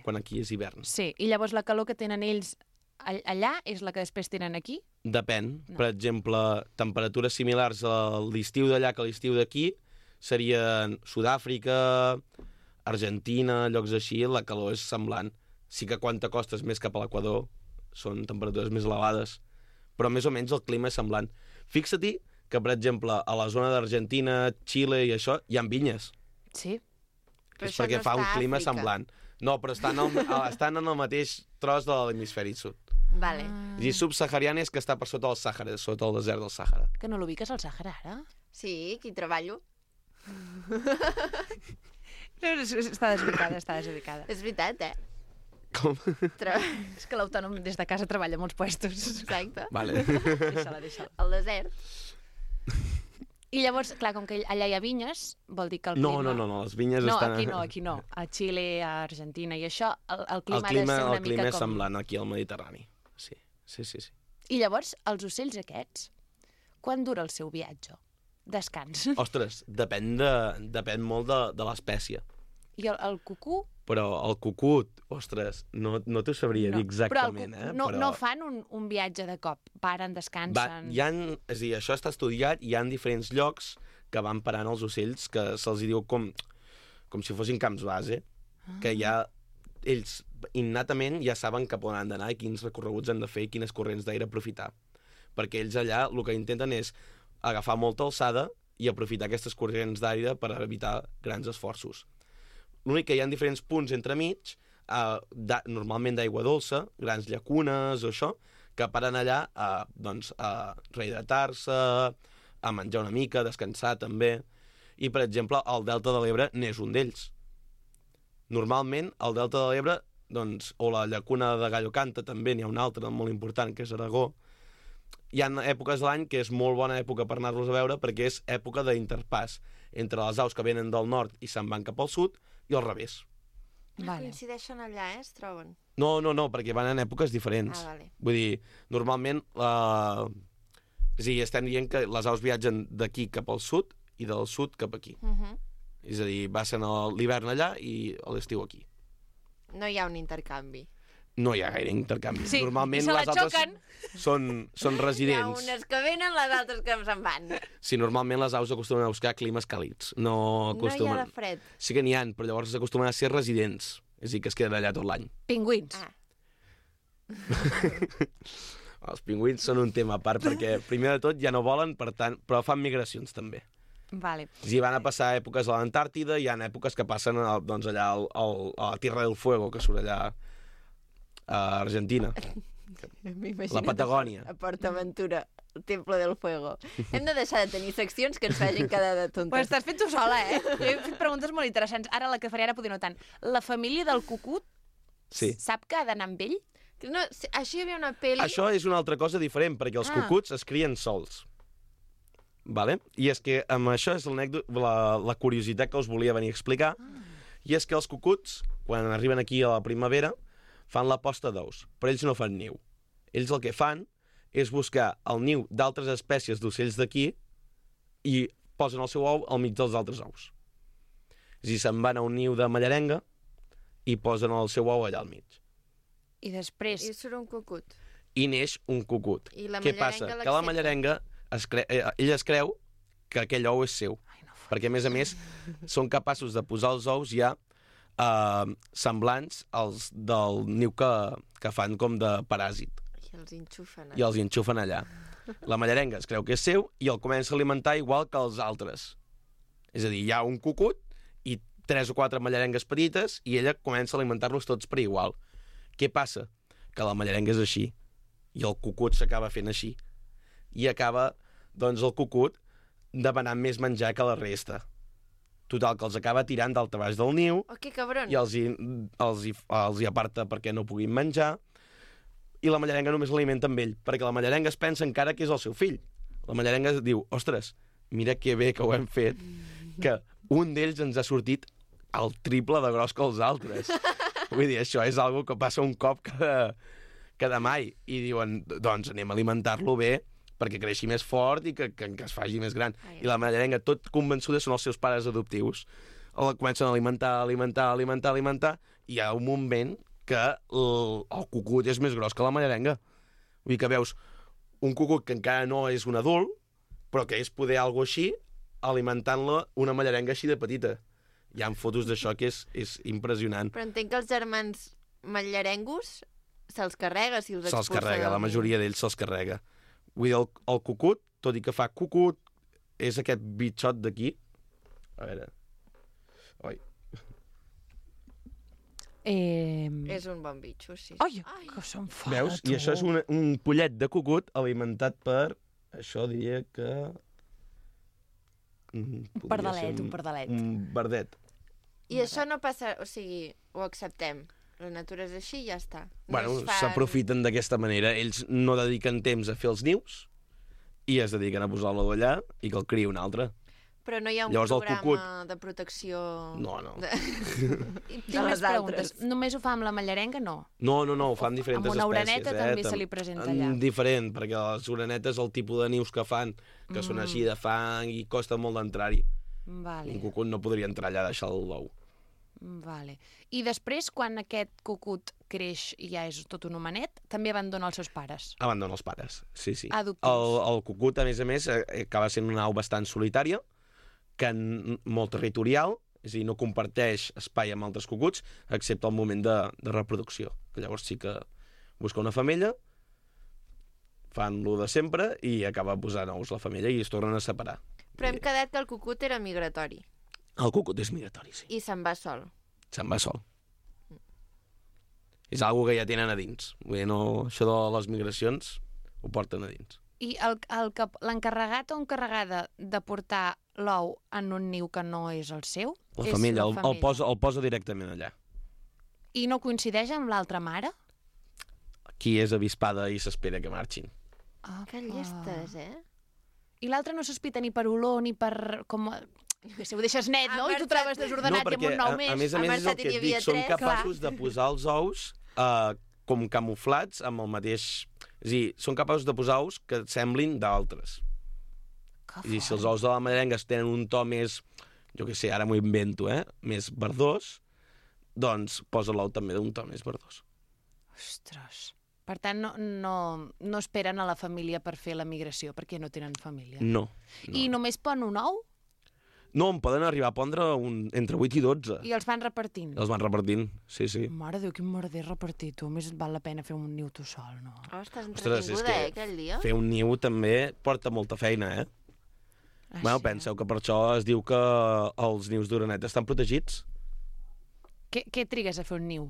quan aquí és hivern. Sí, i llavors la calor que tenen ells allà és la que després tenen aquí? Depèn. No. Per exemple, temperatures similars a l'estiu d'allà que a l'estiu d'aquí serien Sud-àfrica, Argentina, llocs així, la calor és semblant. Sí que quan t'acostes més cap a l'equador són temperatures més elevades, però més o menys el clima és semblant. Fixa-t'hi que, per exemple, a la zona d'Argentina, Xile i això, hi ha vinyes. Sí. És perquè fa un clima semblant. No, però estan en el mateix tros de l'hemisferi sud. Vale. És a dir, subsahariana és que està per sota del Sàhara, sota el desert del Sàhara. Que no l'ubiques al Sàhara, ara? Sí, aquí treballo. Està desubicada. És veritat, Com? És que l'autònom des de casa treballa a molts puestos. Exacte. Vale. Deixa-la. Al desert. I llavors, clar, com que allà hi ha vinyes, vol dir que el clima... No, les vinyes estan... No, aquí no. A Xile, a Argentina i això, el clima ha de ser una mica com... El clima és semblant aquí al Mediterrani. Sí. I llavors, els ocells aquests, quan dura el seu viatge? Descans. Ostres, depèn molt de l'espècie. I el cucú? Però el cucut, ostres, no t'ho sabria dir exactament. Però no fan un viatge de cop, paren, descansen... És a dir, això està estudiat, hi ha diferents llocs que van parant els ocells, que se'ls diu com si fossin camps base, que ja ells innatament ja saben cap on han d'anar i quins recorreguts han de fer i quines corrents d'aire aprofitar. Perquè ells allà el que intenten és agafar molta alçada i aprofitar aquestes corrents d'aire per evitar grans esforços. L'únic que hi ha diferents punts entremig, normalment d'aigua dolça, grans llacunes o això, que paren allà a rehidratar-se, a menjar una mica, a descansar també. I, per exemple, el Delta de l'Ebre n'és un d'ells. Normalment, al Delta de l'Ebre, o la llacuna de Gallo Canta també n'hi ha una altra molt important, que és Aragó. Hi ha èpoques de l'any que és molt bona època per anar-los a veure perquè és època d'interpàs entre les aus que venen del nord i se'n van cap al sud i al revés. Vale. Coincideixen allà, es troben? No, perquè van en èpoques diferents. Vale. Vull dir, normalment estem dient que les aus viatgen d'aquí cap al sud i del sud cap aquí. És a dir, passen l'hivern allà i l'estiu aquí. No hi ha un intercanvi. No hi ha gaire intercanvi. Sí, normalment i se la les altres xoquen. són residents. Hi ha unes que venen, les altres que se'n van. Sí, normalment les aus acostumen a buscar climes càlids. No hi ha de fred. Sí que n'hi ha, però llavors s'acostumen a ser residents. És a dir, que es queden allà tot l'any. Pingüins. Els pingüins són un tema a part, perquè primer de tot ja no volen, per tant, però fan migracions també. Vale. I van a passar èpoques a l'Antàrtida, hi ha èpoques que passen allà a la Tierra del Fuego, que surt allà a Argentina. La Patagònia. A PortAventura, el Temple del Fuego. Hem de deixar de tenir seccions que ens facin quedar de tontes. Pues t'has fet tu sola, Jo he fet preguntes molt interessants. Ara la que faré ara poder no tant. La família del cucut sap que ha d'anar amb ell? No, això hi havia una pel·li... Això és una altra cosa diferent, perquè els cucuts es crien sols. Vale? I és que amb això és la curiositat que us volia venir a explicar. I és que els cucuts, quan arriben aquí a la primavera, fan la posta d'ous, però ells no fan niu. Ells el que fan és buscar el niu d'altres espècies d'ocells d'aquí i posen el seu ou al mig dels altres ous. És a dir, se'n van a un niu de mallarenga i posen el seu ou allà al mig. I després... I surt un cucut. I neix un cucut. I la Què passa? Que la mallarenga, ell es creu que aquell ou és seu. Perquè, a més, són capaços de posar els ous ja semblants als del niu que fan com de paràsit. I els enxufen allà. La mallarenga es creu que és seu i el comença a alimentar igual que els altres. És a dir, hi ha un cucut i 3 o 4 mallarengues petites i ella comença a alimentar-los tots per igual. Què passa? Que la mallarenga és així i el cucut s'acaba fent així. I acaba, doncs, el cucut demanant més menjar que la resta. Total, que els acaba tirant dalt a baix del niu i els hi aparta perquè no puguin menjar i la mallarenga només l'alimenta amb ell, perquè la mallarenga es pensa encara que és el seu fill. La mallarenga diu, ostres, mira que bé que ho hem fet, que un d'ells ens ha sortit el triple de gros que els altres. Vull dir, això és algo que passa un cop cada mai. I diuen, doncs anem a alimentar-lo bé perquè creixi més fort i que es faci més gran. I la mallerenga, tot convençuda, són els seus pares adoptius. El comencen a alimentar, i hi ha un moment que el cucut és més gros que la mallerenga. Vull dir que veus un cucut que encara no és un adult, però que és poder algo així, alimentant-la una mallerenga així de petita. Hi ha fotos d'això que és impressionant. Però entenc que els germans mallarengos se'ls carrega si els expulsa. Se'ls carrega, la majoria d'ells se'ls carrega. Vull dir, el cucut, tot i que fa cucut, és aquest bitxot d'aquí. A veure... Oi. És un bon bitxo, sí. Ai, que s'enfada, veus? I això és un pollet de cucut alimentat per... Això diria que... Un pardalet. Un verdet. I això no passa... O sigui, ho acceptem. La natura és així i ja està. Bueno, s'aprofiten d'aquesta manera. Ells no dediquen temps a fer els nius i es dediquen a posar-lo allà i que el criï un altre. Però no hi ha un programa de protecció... No. Tinc més preguntes. Només ho fa amb la mallerenga, no? No, ho fa amb diferents espècies. Amb una oreneta també se li presenta allà. Diferent, perquè les orenetes, el tipus de nius que fan, que són així de fang i costa molt d'entrar-hi. Vale. Un cucut no podria entrar allà a deixar l'ou. Vale. I després, quan aquest cucut creix i ja és tot un homenet, també abandona els seus pares? Abandona els pares, sí. Adoptius. El cucut, a més, acaba sent una au bastant solitària, que molt territorial, és a dir, no comparteix espai amb altres cucuts, excepte el moment de reproducció. Llavors sí que busca una femella, fan lo de sempre i acaba posant ous la femella i es tornen a separar. Però hem quedat que el cucut era migratori. El cucut és migratori, sí. I se'n va sol. Se'n va sol. És algo que ja tenen a dins. Vull dir, no, això de les migracions ho porten a dins. I l'encarregat o encarregada de portar l'ou en un niu que no és el seu? La femella, el posa directament allà. I no coincideix amb l'altra mare? Qui és avispada i s'espera que marxin. Que llestes, I l'altre no sospita ni per olor ni per... Si ho deixes net, no? I tu trobes desordenat i amb un nou més. A més, és el que et dic, són capaços de posar els ous com camuflats amb el mateix... És a dir, són capaços de posar ous que semblin d'altres. I si els ous de la mallerenga tenen un to més, jo què sé, ara m'ho invento, més verdós, doncs posa l'ou també d'un to més verdós. Ostres. Per tant, no esperen a la família per fer la migració, perquè no tenen família. No. I només pon un ou? No, en poden arribar a pondre entre 8 i 12. I els van repartint? Els van repartint, sí. Mare de Déu, quin merder repartir, tu. Més val la pena fer un niu tu sol, no? Estàs entretinguda, aquell dia? Fer un niu també porta molta feina, Bueno, penseu que per això es diu que els nius d'oreneta estan protegits. Què trigues a fer un niu?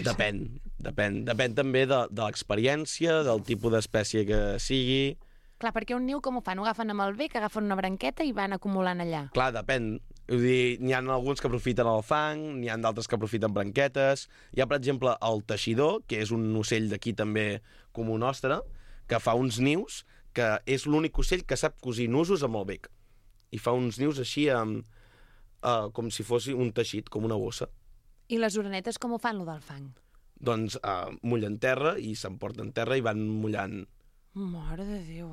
Depèn també de l'experiència, del tipus d'espècie que sigui... Clar, perquè un niu com ho fan? Ho agafen amb el bec, agafen una branqueta i van acumulant allà. Clar, depèn. Vull dir, n'hi ha alguns que aprofiten el fang, n'hi ha d'altres que aprofiten branquetes. Hi ha, per exemple, el teixidor, que és un ocell d'aquí també comú nostre, que fa uns nius, que és l'únic ocell que sap cosir nusos amb el bec. I fa uns nius així com si fos un teixit, com una bossa. I les orenetes com ho fan, lo del fang? Doncs mullen terra i s'emporten terra i van mullant. Mare de Déu,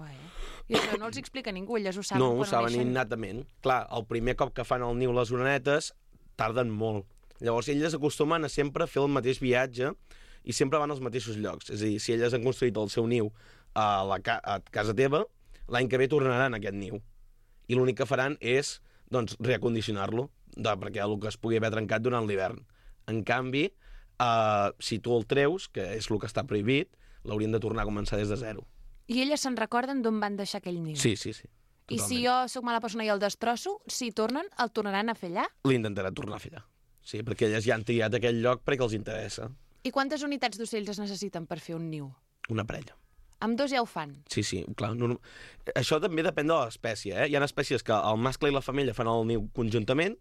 I això no els explica ningú, elles ho saben no, quan ho saben innatament. Clar, el primer cop que fan el niu les orenetes tarden molt. Llavors elles acostumen a sempre fer el mateix viatge i sempre van als mateixos llocs. És a dir, si elles han construït el seu niu a casa teva, l'any que ve tornaran a aquest niu. I l'únic que faran és doncs, reacondicionar-lo, perquè el que es pugui haver trencat durant l'hivern. En canvi, si tu el treus, que és el que està prohibit, l'haurien de tornar a començar des de zero. I elles se'n recorden d'on van deixar aquell niu? Sí. Totalment. I si jo sóc mala persona i el destrosso, si tornen, el tornaran a fer allà? L'intentarà tornar a fer allà. Sí, perquè elles ja han triat aquell lloc perquè els interessa. I quantes unitats d'ocells es necessiten per fer un niu? Una parella. Amb 2 ja ho fan? Sí, clar. Això també depèn de l'espècie, Hi ha espècies que el mascle i la femella fan el niu conjuntament,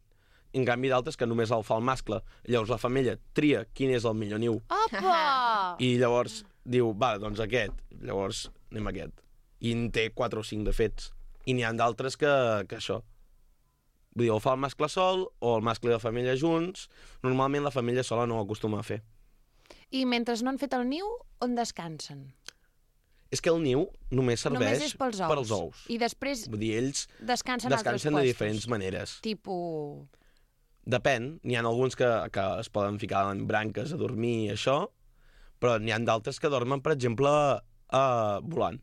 i en canvi d'altres que només el fa el mascle. Llavors la femella tria quin és el millor niu. Opa! I llavors diu, doncs aquest. Llavors anem a aquest. I en té 4 o 5 de fets. I n'hi ha d'altres que això. Vull dir, o fa el mascle sol o el mascle i la femella junts. Normalment la femella sola no ho acostuma a fer. I mentre no han fet el niu, on descansen? És que el niu només serveix Només és pels ous. I després vull dir, ells descansen altres de diferents maneres. Tipus... Depèn. N'hi ha alguns que es poden ficar en branques a dormir i això, però n'hi ha d'altres que dormen, per exemple, volant.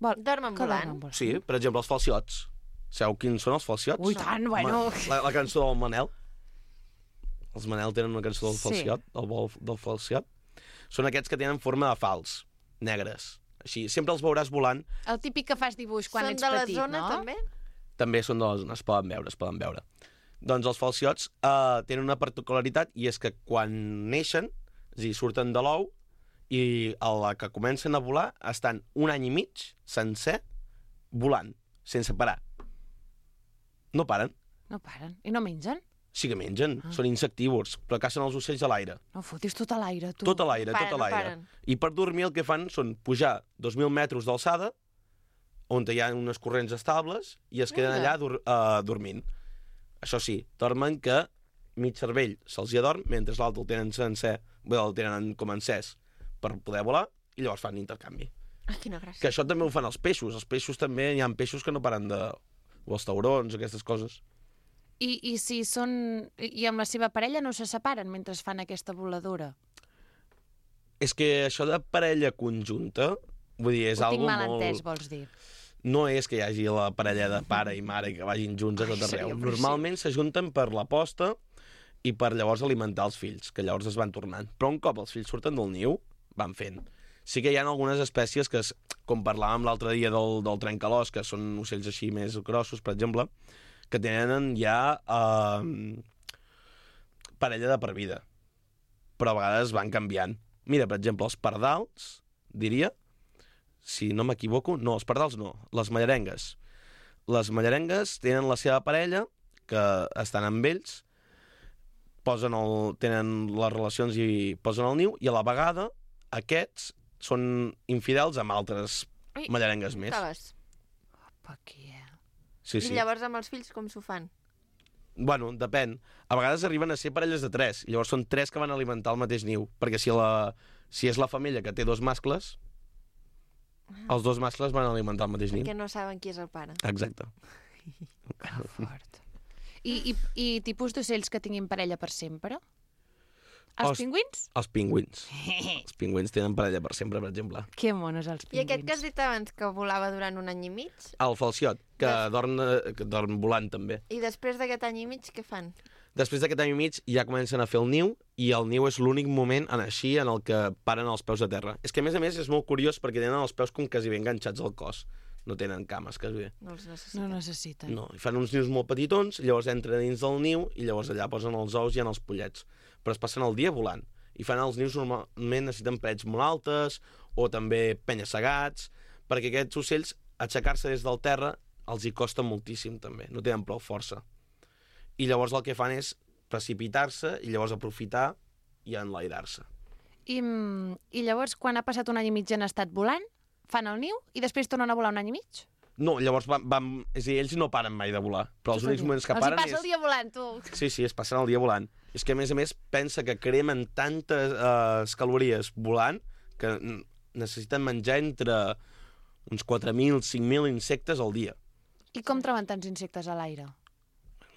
Dormen volant? Sí, per exemple, els falciots. Sabeu quins són els falciots? Ui, tant, bueno... La cançó del Manel. Els Manel tenen una cançó del falciot, el vol del falciot. Són aquests que tenen forma de fals, negres. Així, sempre els veuràs volant. El típic que fas dibuix quan ets petit, no? Són de la zona, també? També són de la zona, es poden veure. Doncs els falciots tenen una particularitat i és que quan neixen, és a dir, surten de l'ou i a la que comencen a volar estan 1 any i mig sencer volant, sense parar. No paren. No paren. I no mengen? Sí que mengen, són insectívors, però cacen els ocells a l'aire. No fotis tot a l'aire, tu. Tot a l'aire, tot a l'aire. I per dormir el que fan són pujar 2.000 metres d'alçada, on hi ha unes corrents estables, i es queden allà dormint. Això sí, dormen que mig cervell se'ls hi adorm, mentre l'altre el tenen sencer, el tenen com encès per poder volar, i llavors fan intercanvi. Ah, quina gràcia. Que això també ho fan els peixos. Els peixos també, hi ha peixos que no paren de... o els taurons, aquestes coses. I si són... I amb la seva parella no se separen mentre fan aquesta voladura? És que això de parella conjunta, vull dir, és algo molt... Ho tinc mal entès, vols dir? No és que hi hagi la parella de pare i mare que vagin junts a tot arreu. Normalment s'ajunten per la posta i per llavors alimentar els fills, que llavors es van tornant. Però un cop els fills surten del niu, van fent. Sí que hi ha algunes espècies que, com parlàvem l'altre dia del trencalòs, que són ocells així més grossos, per exemple, que tenen ja parella de per vida. Però a vegades van canviant. Mira, per exemple, els pardals, diria, si no m'equivoco, no, els pardals no, les mallarengues. Les mallarengues tenen la seva parella, que estan amb ells, tenen les relacions i posen el niu, i a la vegada aquests són infidels amb altres mallarengues més. Opa, aquí, Sí. I llavors amb els fills com s'ho fan? Bueno, depèn. A vegades arriben a ser parelles de 3, i llavors són 3 que van alimentar el mateix niu, perquè si és la femella que té 2 mascles, els 2 mascles van alimentar el mateix niu. Perquè no saben qui és el pare. Exacte. Que fort. I tipus d'ocells que tinguin parella per sempre? Els pingüins? Els pingüins. Els pingüins tenen parella per sempre, per exemple. Que monos, els pingüins. I aquest que has dit abans, que volava durant 1 any i mig? El falciot, que dorm volant també. I després d'aquest any i mig, què fan? Després d'aquest any i mig ja comencen a fer el niu, i el niu és l'únic moment en el que paren els peus a terra. És que, a més, és molt curiós perquè tenen els peus com quasi ben enganxats al cos. No tenen cames, quasi bé. No els necessiten. No necessiten. No, i fan uns nius molt petitons, llavors entren dins del niu i llavors allà posen els ous i en els pollets. Però es passen el dia volant. I fan els nius normalment necessiten parets molt altes o també penya-segats, perquè aquests ocells, aixecar-se des del terra, els hi costa moltíssim també, no tenen prou força. I llavors el que fan és precipitar-se i llavors aprofitar i enlairar-se. I llavors, quan ha passat 1 any i mig han estat volant, fan el niu i després tornen a volar 1 any i mig? No, llavors és a dir, ells no paren mai de volar, però els únics moments que paren els hi passa el dia volant, tu. Sí, es passen el dia volant. És que, a més, pensa que cremen tantes calories volant que necessiten menjar entre uns 4.000, 5.000 insectes al dia. I com troben tants insectes a l'aire?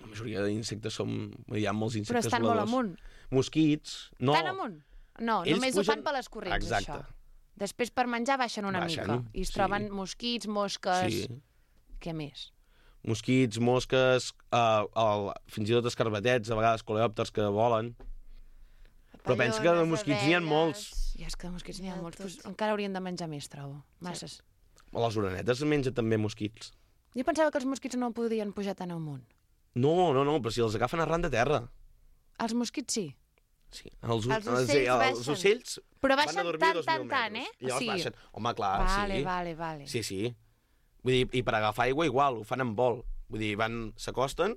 La majoria d'insectes hi ha molts insectes voladors. Però estan molt amunt. Mosquits, no. Tan amunt? No, ells només ho fan per les corrents, exacte. Això. Després per menjar baixen una mica. I es troben mosquits, mosques... Sí. Què més? Mosquits, mosques, fins i tot escarbatets, a vegades coleòpters que volen. Però pensa que de mosquits n'hi ha molts. Ja, és que de mosquits n'hi ha molts. Pues encara haurien de menjar més, trobo. Masses. Les orenetes mengen també mosquits. Jo pensava que els mosquits no podien pujar tan amunt. No, però si els agafen arran de terra. Els mosquits sí. Sí, els ocells però baixen tant, eh? I llavors baixen. Home, clar, sí. Vale. Sí. Vull dir, i per agafar aigua igual, ho fan en vol. Vull dir, s'acosten,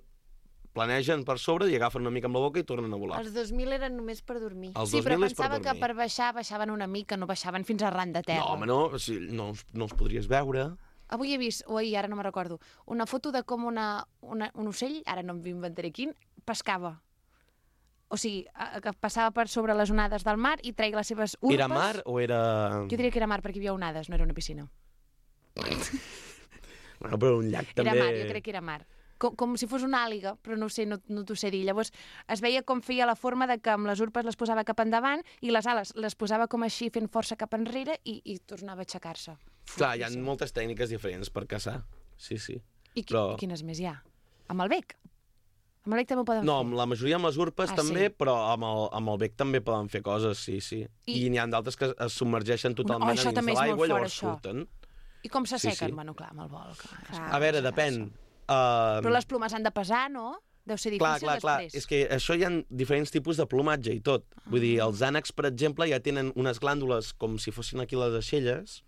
planegen per sobre i agafen una mica amb la boca i tornen a volar. Els 2.000 eren només per dormir. Sí, però pensava que per baixar baixaven una mica, no baixaven fins arran de terra. No, home, no els podries veure. Avui he vist, o ahir, ara no me'n recordo, una foto de com un ocell, ara no m'inventaré quin, pescava. O sigui, que passava per sobre les onades del mar i treia les seves urpes. Era mar o era... Jo diria que era mar perquè hi havia onades, no era una piscina. Bueno, però un llac també... Era mar, jo crec que era mar. Com si fos una àliga, però no ho sé, no t'ho sé dir. Llavors es veia com feia la forma de que amb les urpes les posava cap endavant i les ales les posava com així fent força cap enrere i tornava a aixecar-se. Clar, hi ha moltes tècniques diferents per caçar. Sí. I quines més hi ha? Amb el bec? Amb el bec també ho poden fer? No, amb la majoria amb les urpes també, sí. però amb el bec també poden fer coses, sí. I n'hi ha d'altres que es submergeixen totalment a dins de l'aigua i llavors surten. I com s'assequen? Bueno, clar, amb el vol. A veure, depèn. Però les plomes han de pesar, no? Deu ser difícil després. Clar. És que això hi ha diferents tipus de plomatge i tot. Vull dir, els ànecs, per exemple, ja tenen unes glàndules com si fossin aquí les aixelles,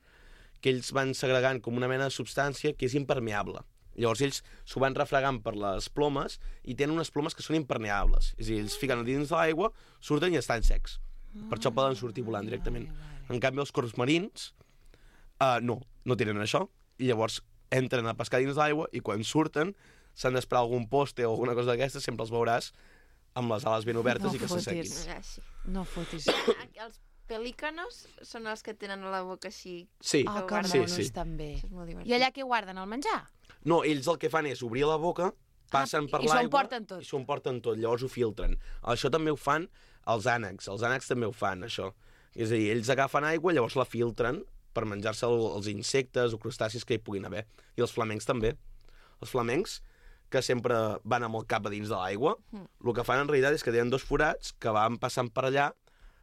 que ells van segregant com una mena de substància que és impermeable. Llavors ells s'ho van refregant per les plomes i tenen unes plomes que són impermeables. És a dir, ells fiquen dins de l'aigua, surten i estan secs. Per això poden sortir volant directament. En canvi, els corps marins no tenen això. I llavors entren a pescar dins l'aigua i quan surten s'han d'esperar algun poste o alguna cosa d'aquestes, sempre els veuràs amb les ales ben obertes i que s'assequin. No fotis. Els pelícanos són els que tenen la boca així. Sí, que monos també. I allà què guarden, el menjar? No, ells el que fan és obrir la boca, passen per l'aigua i s'ho emporten tot, llavors ho filtren. Això també ho fan els ànecs també ho fan, això. És a dir, ells agafen aigua, llavors la filtren per menjar-se els insectes o crustacis que hi puguin haver. I els flamencs també. Els flamencs, que sempre van amb el cap a dins de l'aigua, el que fan en realitat és que tenen dos forats que van passant per allà,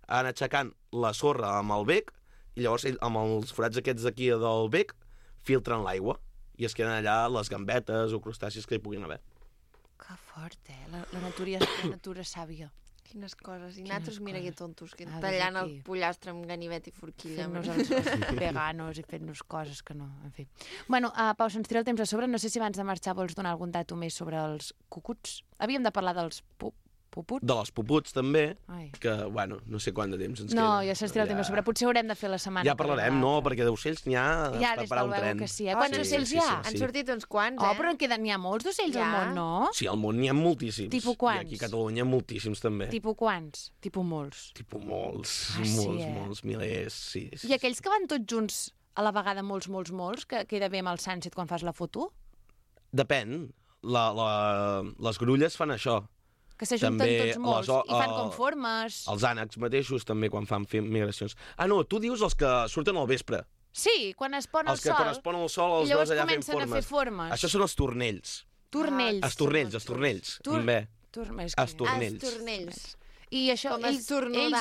van aixecant la sorra amb el bec, i llavors amb els forats aquests d'aquí del bec filtren l'aigua i es queden allà les gambetes o crustacis que hi puguin haver. Que fort, la natura sàvia. Quines coses. I nosaltres, mira que tontos, que tallant el pollastre amb ganivet i forquilla. Fent-nos els veganos i fent-nos coses que no... En fi. Bueno, Pau, se'ns tira el temps a sobre. No sé si abans de marxar vols donar algun dato més sobre els cucuts. Havíem de parlar dels puputs. De les puputs, també, que, bueno, no sé quant de temps ens queda. No, ja se'ns tira el temps a sobre. Potser haurem de fer la setmana. Ja parlarem, no? Perquè d'ocells n'hi ha per parar un tren. Que sí. Quants ocells hi ha? Han sortit uns quants, però n'hi ha molts d'ocells al món, no? Sí, al món n'hi ha moltíssims. Tipus quants? I aquí a Catalunya moltíssims, també. Tipus quants? Tipus molts? Tipus molts. Molts, milers, sí. I aquells que van tots junts a la vegada molts, que queda bé amb el sunset quan fas la foto? Depèn. Les grulles fan això. Que s'ajunten tots molts i fan com formes. Els ànecs mateixos també quan fan migracions. No, tu dius els que surten al vespre. Sí, quan es pon el sol. Els que quan es pon el sol els veus allà fent formes. I llavors comencen a fer formes. Això són els tornells. Tornells. Els tornells. Els tornells. I això, ells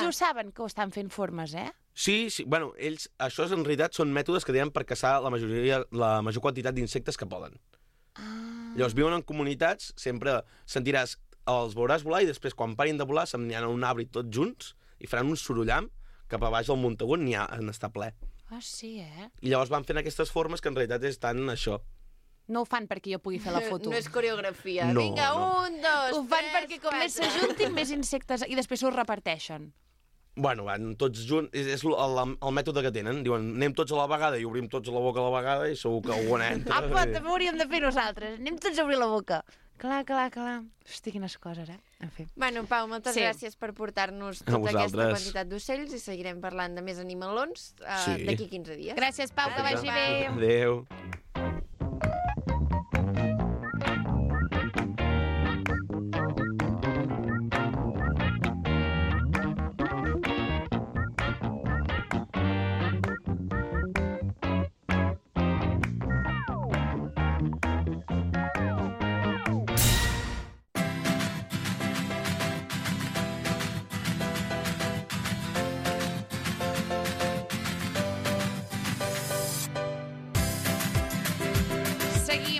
ho saben que ho estan fent formes, Sí, bueno, ells, això en realitat són mètodes que tenen per caçar la major quantitat d'insectes que poden. Llavors viuen en comunitats, sempre sentiràs els veuràs volar i després, quan parin de volar, se'n aniran a un arbre tots junts i faran un sorollam cap a baix del Montagut en estar ple. Sí, I llavors van fent aquestes formes que en realitat estan això. No ho fan perquè jo pugui fer la foto. No és coreografia. No, vinga, 1, 2, 3, Ho fan perquè com més s'ajuntin, més insectes... I després s'ho reparteixen. Bueno, van tots junts, és el mètode que tenen. Diuen, anem tots a la vegada i obrim tots la boca a la vegada i segur que alguna entra. També ho hauríem de fer nosaltres. Anem tots a obrir la boca. Clar. Hosti, quines coses, En fi. Bueno, Pau, moltes gràcies per portar-nos tota aquesta quantitat d'ocells i seguirem parlant de més animalons d'aquí 15 dies. Gràcies, Pau, que vagi bé. Adéu.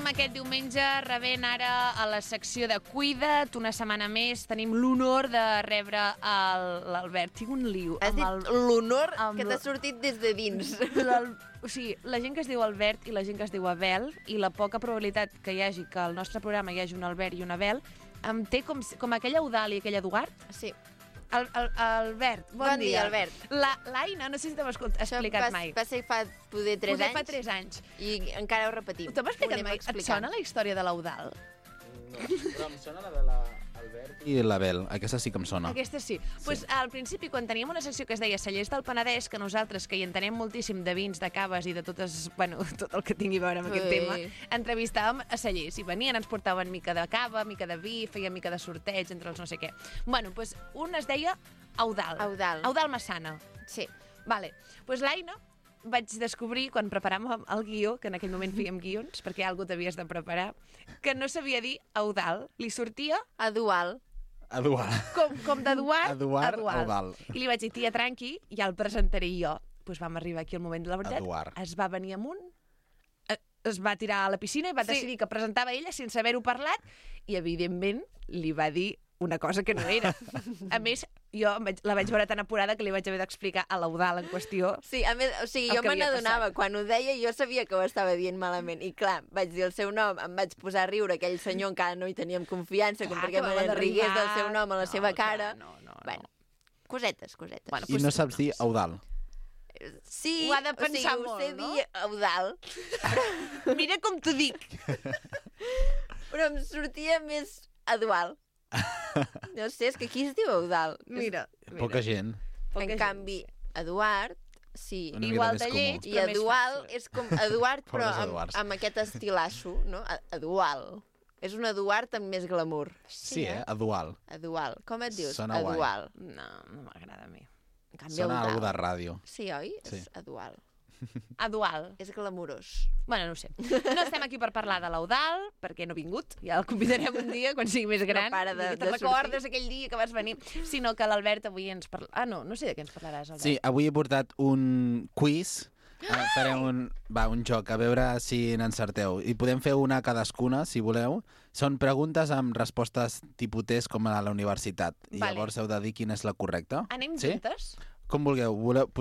Aquest diumenge rebent ara a la secció de Cuida't, una setmana més, tenim l'honor de rebre l'Albert. Tinc un lío. Has dit l'honor que t'ha sortit des de dins. O sigui, la gent que es diu Albert i la gent que es diu Abel, i la poca probabilitat que hi hagi que al nostre programa hi hagi un Albert i un Abel, em té com aquella Eudàlia i aquella Eduard. Sí. Albert, bon dia. Albert. L'Aina, no sé si t'ho has explicat mai. Va ser fa poder 3 anys. Fa 3 anys. I encara ho repetim. T'ho has explicat mai? Et sona la història de l'Eudal? No, però em sona la de l'Albert i l'Abel. Aquesta sí que em sona. Aquesta sí. Pues, al principi, quan teníem una secció que es deia Cellers del Penedès, que nosaltres, que hi entenem moltíssim de vins, de caves i de totes, bueno, tot el que tingui a veure amb aquest tema, entrevistàvem a cellers. I venien, ens portaven mica de cava, mica de vi, feien mica de sorteig entre els no sé què. Bueno, pues, un es deia Eudal. Eudal Massana. Sí. Vale. Pues l'Aina vaig descobrir, quan preparàvem el guió, que en aquell moment fèiem guions, perquè algú t'havies de preparar, que no sabia dir Eudal. Li sortia... Edual. Com d'Eduard, Eudal. I li vaig dir, tia, tranqui, ja el presentaré jo. Pues vam arribar aquí al moment de la veritat. Eduard. Es va venir amunt, es va tirar a la piscina i va decidir que presentava ella sense haver-ho parlat i, evidentment, li va dir una cosa que no era. A més, jo la vaig veure tan apurada que li vaig haver d'explicar a l'Eudal en qüestió. Sí, a més, o sigui, jo me n'adonava. Quan ho deia, jo sabia que ho estava dient malament. I clar, vaig dir el seu nom, em vaig posar a riure. Aquell senyor encara no hi teníem confiança, com perquè me rigués del seu nom a la seva cara. No. Bueno, cosetes. Bueno, I no saps dir Eudal? Sí, ho ha de pensar molt, no? Ho sé dir Eudal. Mira com t'ho dic. Però em sortia més Edual. No sé, és que aquí es diu Eudal. Mira. Poca gent. En canvi, Eduard, sí. Igual de lleig, i Edual és com Eduard, però amb aquest estilasso, no? Edual. És un Eduard amb més glamour. Sí, Edual. Edual. Com et dius? Sona Edual. No m'agrada a mi. En canvi, Sona algú de ràdio. Sí, oi? Sí. És Edual. Edual. És glamurós. Bueno, no ho sé. No estem aquí per parlar de l'Eudal, perquè no ha vingut. Ja el convidarem un dia, quan sigui més gran. No para de te'n recordes aquell dia que vas venir. Sinó que l'Albert avui ens parla... Ah, no sé de què ens parlaràs, Albert. Sí, avui he portat un quiz. Farem un joc, a veure si n'encerteu. I podem fer una cadascuna, si voleu. Són preguntes amb respostes tipus test, com a la universitat. I llavors heu de dir quina és la correcta. Anem juntes? Com vulgueu.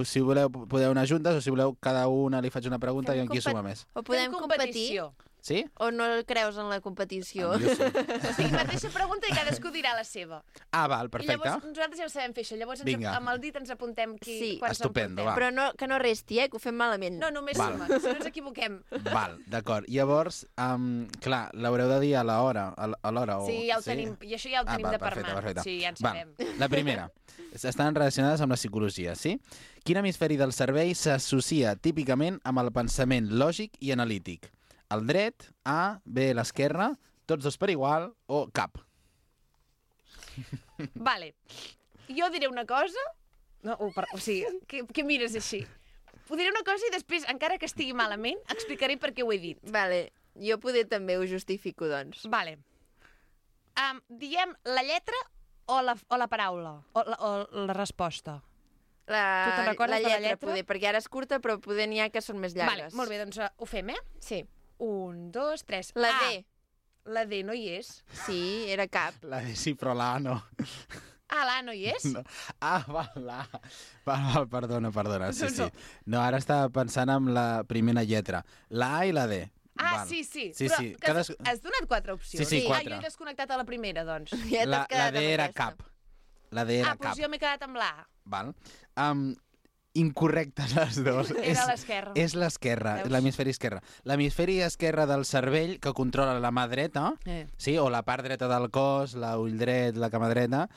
Si voleu, podeu anar juntes, o si voleu, cada una li faig una pregunta i en qui suma més. O podem competir? Sí? O no creus en la competició? Jo sí. O sigui, mateixa pregunta i cadascú dirà la seva. Ah, val, perfecte. I llavors nosaltres ja ho sabem fer, això. Llavors amb el dit ens apuntem quan estupendo, va. Però que no resti, que ho fem malament. No, només suma, si no ens equivoquem. Val, d'acord. Llavors, clar, l'haureu de dir a l'hora. Sí, ja ho tenim. I això ja ho tenim de per mà. Perfecte. Sí, ja en sabem. La primera. Estan relacionades amb la psicologia, sí? Quin hemisferi del cervell s'associa típicament amb el pensament lògic i analític? El dret, A, B, l'esquerra, tots dos per igual o cap? Vale. Jo diré una cosa... No, o sigui, què mires així? Ho diré una cosa i després, encara que estigui malament, explicaré per què ho he dit. Vale. Jo poder també ho justifico, doncs. Vale. Diem la lletra o la paraula? O la resposta? Tu te'n recordes de la lletra? Poder, perquè ara és curta, però poder n'hi ha que són més llargues. Vale, molt bé, doncs ho fem, Sí. 1, 2, 3. La D. La D no hi és. Sí, era cap. La D sí, però la A no. Ah, l'A no hi és? No. Ah, val, l'A. Val, perdona. Sí. No, ara estava pensant en la primera lletra. La A i la D. Ah, val. sí. Però has donat 4 opcions. Sí, 4. Jo he desconnectat a la primera, doncs. La D era cap. La D era cap. Doncs jo m'he quedat amb l'A. Val. Incorrectes les dues. Era l'esquerra. És l'esquerra, l'hemisferi esquerre. L'hemisferi esquerre del cervell que controla la mà dreta, sí, o la part dreta del cos, l'ull dret, la cama dreta,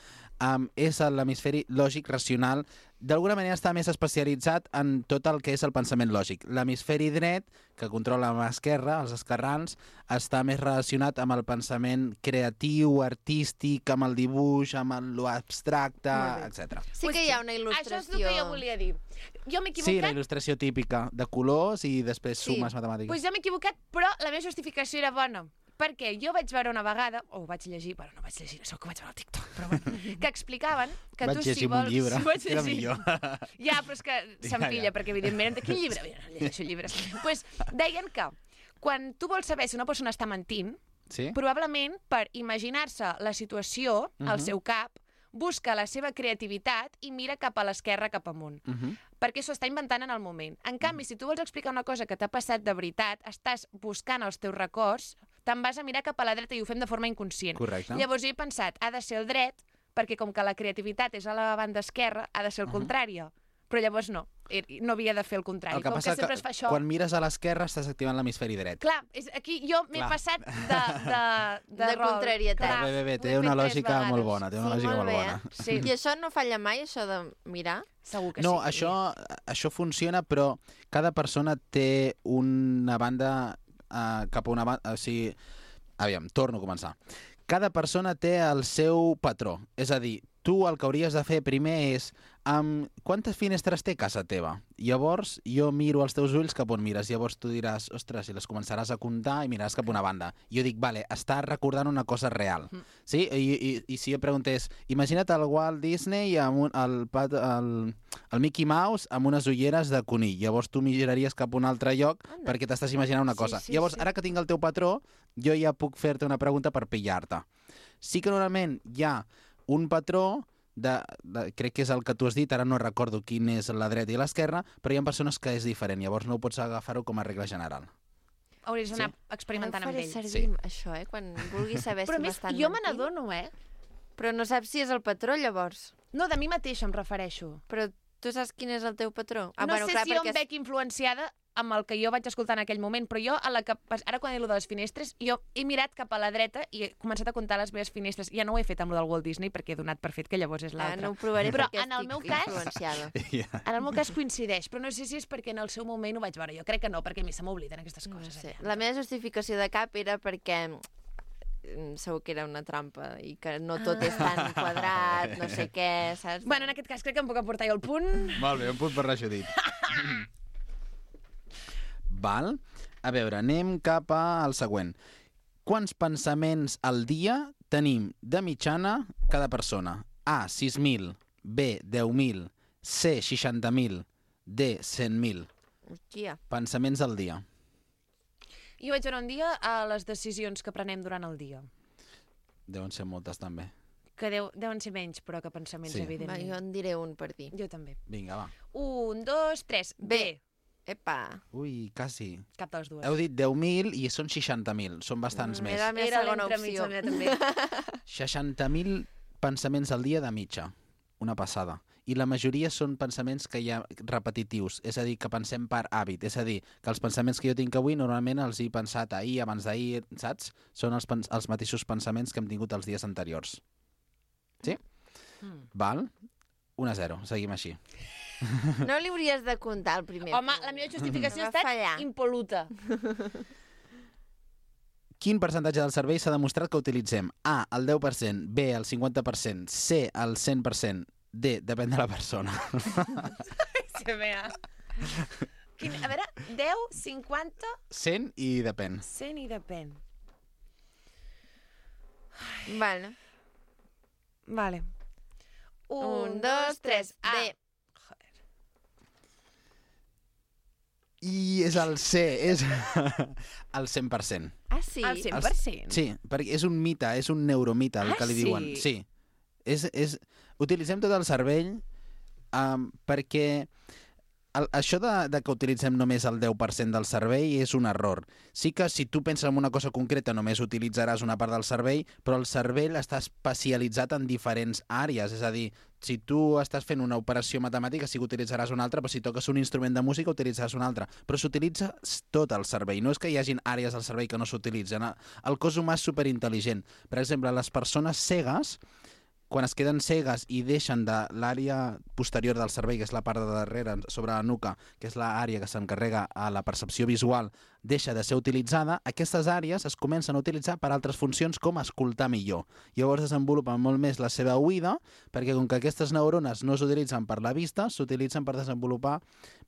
és l'hemisferi lògic racional. D'alguna manera està més especialitzat en tot el que és el pensament lògic. L'hemisferi dret, que controla la mà esquerra, els esquerrans, està més relacionat amb el pensament creatiu, artístic, amb el dibuix, amb l'abstracte, etc. Sí que hi ha una il·lustració. Això és el que jo volia dir. Jo m'he equivocat... Sí, la il·lustració típica de colors i després sumes matemàtiques. Doncs jo m'he equivocat, però la meva justificació era bona. Perquè jo vaig veure una vegada, o ho vaig llegir, bueno, no vaig llegir, això que vaig veure al TikTok, però bueno, que explicaven que tu si vols... Vaig llegir un llibre, era millor. Ja, però és que s'empilla, perquè evidentment... Quin llibre? No llegeixo llibres. Doncs deien que quan tu vols saber si una persona està mentint, probablement per imaginar-se la situació al seu cap, busca la seva creativitat i mira cap a l'esquerra, cap amunt. Perquè s'ho està inventant en el moment. En canvi, si tu vols explicar una cosa que t'ha passat de veritat, estàs buscant els teus records, te'n vas a mirar cap a la dreta i ho fem de forma inconscient. Correcte. Llavors jo he pensat, ha de ser el dret, perquè com que la creativitat és a la banda esquerra, ha de ser el contrari. Però llavors no havia de fer el contrari. El que passa sempre es fa això... quan mires a l'esquerra estàs activant l'hemisferi dret. Clar, aquí jo m'he passat de rol. contrarietat. Bé, té una lògica molt bona. Té una lògica molt bona. Sí. I això no falla mai, això de mirar? Segur que no, sí. això funciona, però cada persona té una banda cap a una banda... O sigui, aviam, torno a començar. Cada persona té el seu patró. És a dir, tu el que hauries de fer primer és quantes finestres té casa teva? Llavors jo miro els teus ulls cap on mires. Llavors tu diràs, ostres, i les començaràs a comptar i miraràs cap a una banda. Jo dic, vale, està recordant una cosa real. Sí? I si jo preguntés, imagina't el Walt Disney amb el Mickey Mouse amb unes ulleres de conill. Llavors tu miraries cap a un altre lloc perquè t'estàs imaginant una cosa. Llavors, ara que tinc el teu patró, jo ja puc fer-te una pregunta per pillar-te. Sí que normalment hi ha un patró crec que és el que tu has dit, ara no recordo quin és la dreta i l'esquerra, però hi ha persones que és diferent, llavors no pots agafar-ho com a regla general. Hauries d'anar experimentant amb ell. Faré servir això, quan vulguis saber si m'estan mentint. Però jo me n'adono, Però no saps si és el patró, llavors. No, de mi mateixa em refereixo. Però tu saps quin és el teu patró? No sé si jo em veig influenciada amb el que jo vaig escoltar en aquell moment, però jo, ara quan he dit de les finestres, jo he mirat cap a la dreta i he començat a comptar les meves finestres. Ja no ho he fet amb el del Walt Disney perquè he donat per fet que llavors és l'altre. No ho provaré però perquè estic influenciada. En el meu cas coincideix, però no sé si és perquè en el seu moment ho vaig veure. Jo crec que no, perquè a mi se m'obliden aquestes coses. No sé. La meva justificació de cap era perquè segur que era una trampa i que no tot és tan quadrat, no sé què, saps? Bueno, en aquest cas crec que em puc aportar jo el punt. Molt bé, un punt per l'aixudit. Val? A veure, anem cap al següent. Quants pensaments al dia tenim de mitjana cada persona? A, 6.000, B, 10.000, C, 60.000, D, 100.000. Hòstia. Pensaments al dia. Jo vaig veure un dia a les decisions que prenem durant el dia. Deuen ser moltes, també. Que deuen ser menys, però que pensaments, evidentment. Va, jo en diré un per dir. Jo també. Vinga, va. 1, 2, 3, B. Epa. Ui, quasi. Cap de les dues. Heu dit 10.000 i són 60.000. Són bastants més. Era la meva segona opció. També. 60.000 pensaments al dia de mitja. Una passada. I la majoria són pensaments que hi ha repetitius, és a dir, que pensem per hàbit. És a dir, que els pensaments que jo tinc avui normalment els he pensat ahir, abans d'ahir, saps? Són els mateixos pensaments que hem tingut els dies anteriors. Sí? Val? 1-0. Seguim així. No li hauries de comptar el primer. Home, la meva justificació ha estat impol·luta. Quin percentatge del cervell s'ha demostrat que utilitzem? A, el 10%, B, el 50%, C, el 100%, D, depèn de la persona. A veure, 10, 50... 100 i depèn. 100 i depèn. Vale. 1, 2, 3, A. D. I és el C, és el 100%. Ah, sí? El 100%? Sí, perquè és un mite, és un neuromite el que li diuen. Sí. Utilitzem tot el cervell perquè això de que utilitzem només el 10% del cervell és un error. Sí que si tu penses en una cosa concreta només utilitzaràs una part del cervell, però el cervell està especialitzat en diferents àrees. És a dir, si tu estàs fent una operació matemàtica sí que utilitzaràs una altra, però si toques un instrument de música utilitzaràs una altra. Però s'utilitza tot el cervell. No és que hi hagin àrees del cervell que no s'utilitzen. El cos humà és superintel·ligent. Per exemple, les persones cegues, quan es queden cegues i deixen de l'àrea posterior del cervell, que és la part de darrere, sobre la nuca, que és l'àrea que s'encarrega a la percepció visual, deixa de ser utilitzada, aquestes àrees es comencen a utilitzar per altres funcions com escoltar millor. Llavors desenvolupen molt més la seva oïda, perquè com que aquestes neurones no s'utilitzen per la vista, s'utilitzen per desenvolupar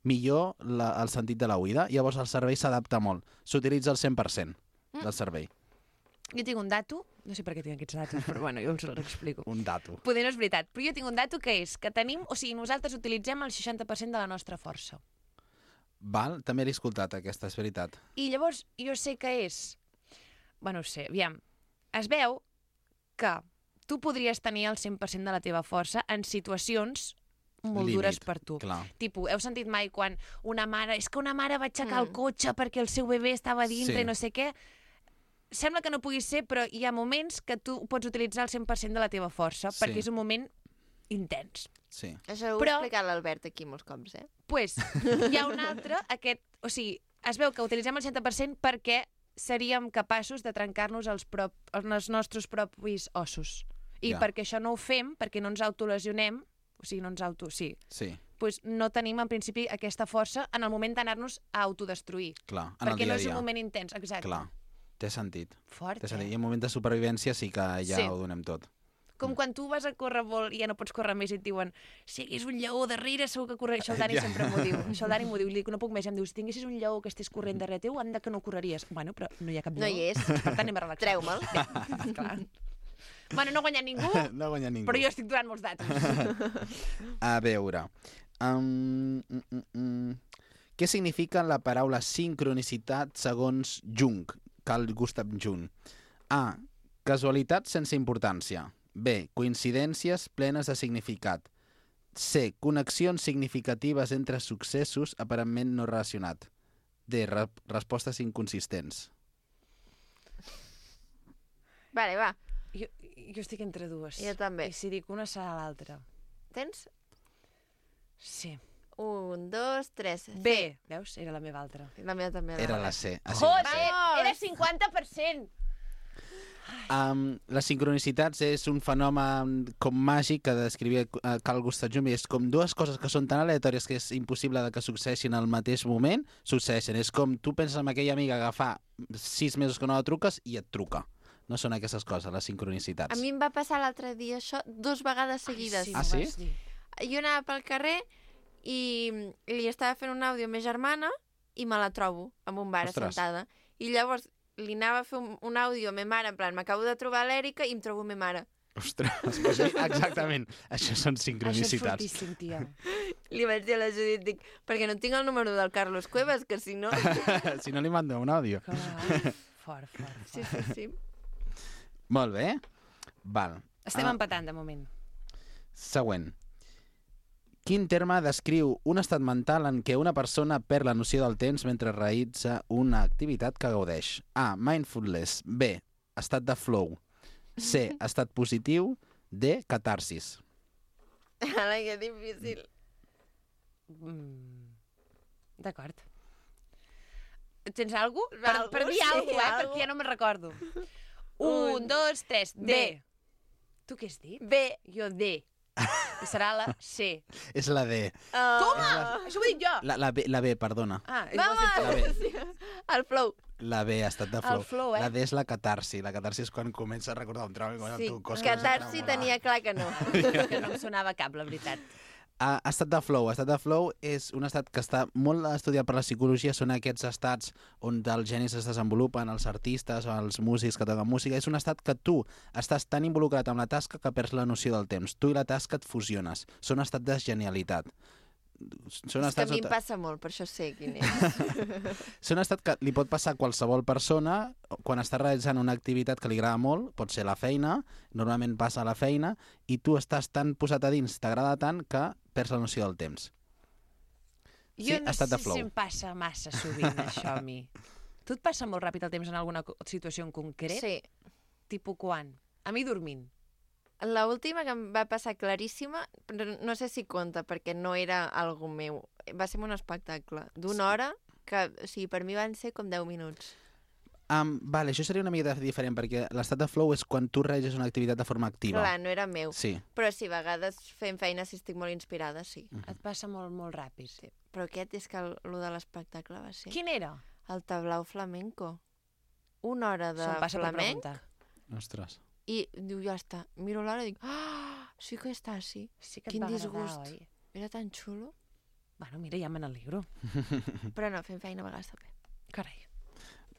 millor el sentit de l'oïda. Llavors el cervell s'adapta molt. S'utilitza el 100% del cervell. Jo tinc un dato, no sé per què tinc aquests datos, però bueno, jo us l'explico. Un dato. Poder no és veritat, però jo tinc un dato que és que tenim, o sigui, nosaltres utilitzem el 60% de la nostra força. Val, també l'he escoltat, aquesta, és veritat. I llavors jo sé que és... Bueno, no sé, aviam, es veu que tu podries tenir el 100% de la teva força en situacions molt dures per tu. Clar. Tipo, heu sentit mai quan una mare... És que una mare va aixecar el cotxe perquè el seu bebè estava a dintre i no sé què... sembla que no pugui ser, però hi ha moments que tu pots utilitzar el 100% de la teva força, perquè és un moment intens. Sí. Això ho ha explicat l'Albert aquí molts cops, Pues, hi ha un altre, o sigui, es veu que utilitzem el 100% perquè seríem capaços de trencar-nos els nostres propis ossos. I perquè això no ho fem, perquè no ens autolesionem, o sigui, no ens pues no tenim, en principi, aquesta força en el moment d'anar-nos a autodestruir. Clar, en el dia a dia. Perquè no és un moment intens, exacte. Clar, té sentit. Fort, I en moment de supervivència sí que ja ho donem tot. Com quan tu vas a córrer molt i ja no pots córrer més i et diuen si hagués un lleó darrere segur que correria. Això el Dani sempre m'ho diu. Això el Dani m'ho diu. Li dic, no puc més. Em diu, si tinguessis un lleó que estigués corrent darrere teu, anda que no correries. Bueno, però no hi ha cap lleó. No hi és. Per tant, anem a relaxar. Treu-me'l. Clar. Bueno, no ha guanyat ningú, no ha guanyat ningú, però jo estic donant molts datos. A veure... Què significa la paraula sincronicitat segons Jung, Carl Gustav Jung? A. Casualitat sense importància. B. Coincidències plenes de significat. C. Connexions significatives entre successos aparentment no relacionats. D. Respostes inconsistents. Vale, va. Jo estic entre dues. Jo també. I si dic una serà l'altra. Tens? Sí. 1, 2, 3. B. Veus? Era la meva altra. La meva també. Era la C. Joder! Era 50%! Les sincronicitats és un fenomen com màgic que descrivia Carl Gustav Jung. És com dues coses que són tan aleatòries que és impossible que succeeixin al mateix moment, succeeixen. És com tu penses en aquella amiga que fa 6 mesos que no la truques i et truca. No són aquestes coses, les sincronicitats. A mi em va passar l'altre dia això 2 vegades seguides. Ai, sí? Jo anava pel carrer i li estava fent un àudio a ma germana i me la trobo en un bar assentada. I llavors li anava a fer un àudio a ma mare, en plan, m'acabo de trobar l'Èrica i em trobo ma mare. Ostres, exactament. Això són sincronicitats. Això és fortíssim, tia. Li vaig dir a la Judit, dic, perquè no tinc el número del Carlos Cuevas, que si no... Si no li mando un àudio. Fort. Sí. Molt bé. Val. Estem empatant, de moment. Següent. Quin terme descriu un estat mental en què una persona perd la noció del temps mentre realitza una activitat que gaudeix? A. Mindfulness. B. Estat de flow. C. Estat positiu. D. Catarsis. Ara, que difícil. D'acord. Tens alguna cosa? Per dir alguna cosa, perquè ja no me'n recordo. 1, 2, 3. D. Tu què has dit? B. Jo D. I serà la C. És la D. Toma! Això ho he dit jo. La B, perdona. Vamos! El flow. La B, estat de flow. El flow, La D és la catarsi. La catarsi és quan comença a recordar un trauma. Sí, catarsi tenia clar que no. Que no em sonava cap, la veritat. Estat de flow. Estat de flow és un estat que està molt estudiat per la psicologia. Són aquests estats on els genis es desenvolupen, els artistes o els músics que toquen música. És un estat que tu estàs tan involucrat amb la tasca que perds la noció del temps. Tu i la tasca et fusiones. Són un estat de genialitat. És que a mi em passa molt, per això sé quin és. Són un estat que li pot passar a qualsevol persona quan està realitzant una activitat que li agrada molt, pot ser la feina, normalment passa a la feina, i tu estàs tan posat a dins, t'agrada tant, que perds la noció del temps. Jo no sé si em passa massa sovint, això a mi. Tu et passa molt ràpid el temps en alguna situació en concret? Sí. Tipo quan? A mi dormint. L'última que em va passar claríssima, no sé si compta, perquè no era algo meu. Va ser un espectacle d'una hora que, o sigui, per mi van ser com 10 minuts. Vale, això seria una mica diferent, perquè l'estat de flow és quan tu realitzes una activitat de forma activa. Clar, no era meu. Sí. Però sí, a vegades fent feina, si estic molt inspirada, sí. Et passa molt, molt ràpid. Sí. Però aquest és que el de l'espectacle va ser... Quin era? El tablau flamenco. Una hora de flamenc. Ostres. I diu, ja està. Miro l'hora i dic, sí que està, sí. Sí que et Quin va disgust. agradar, oi? Era tan xulo. Bueno, mira, ja me n'alegro. Però no, fent feina a vegades també. Carai.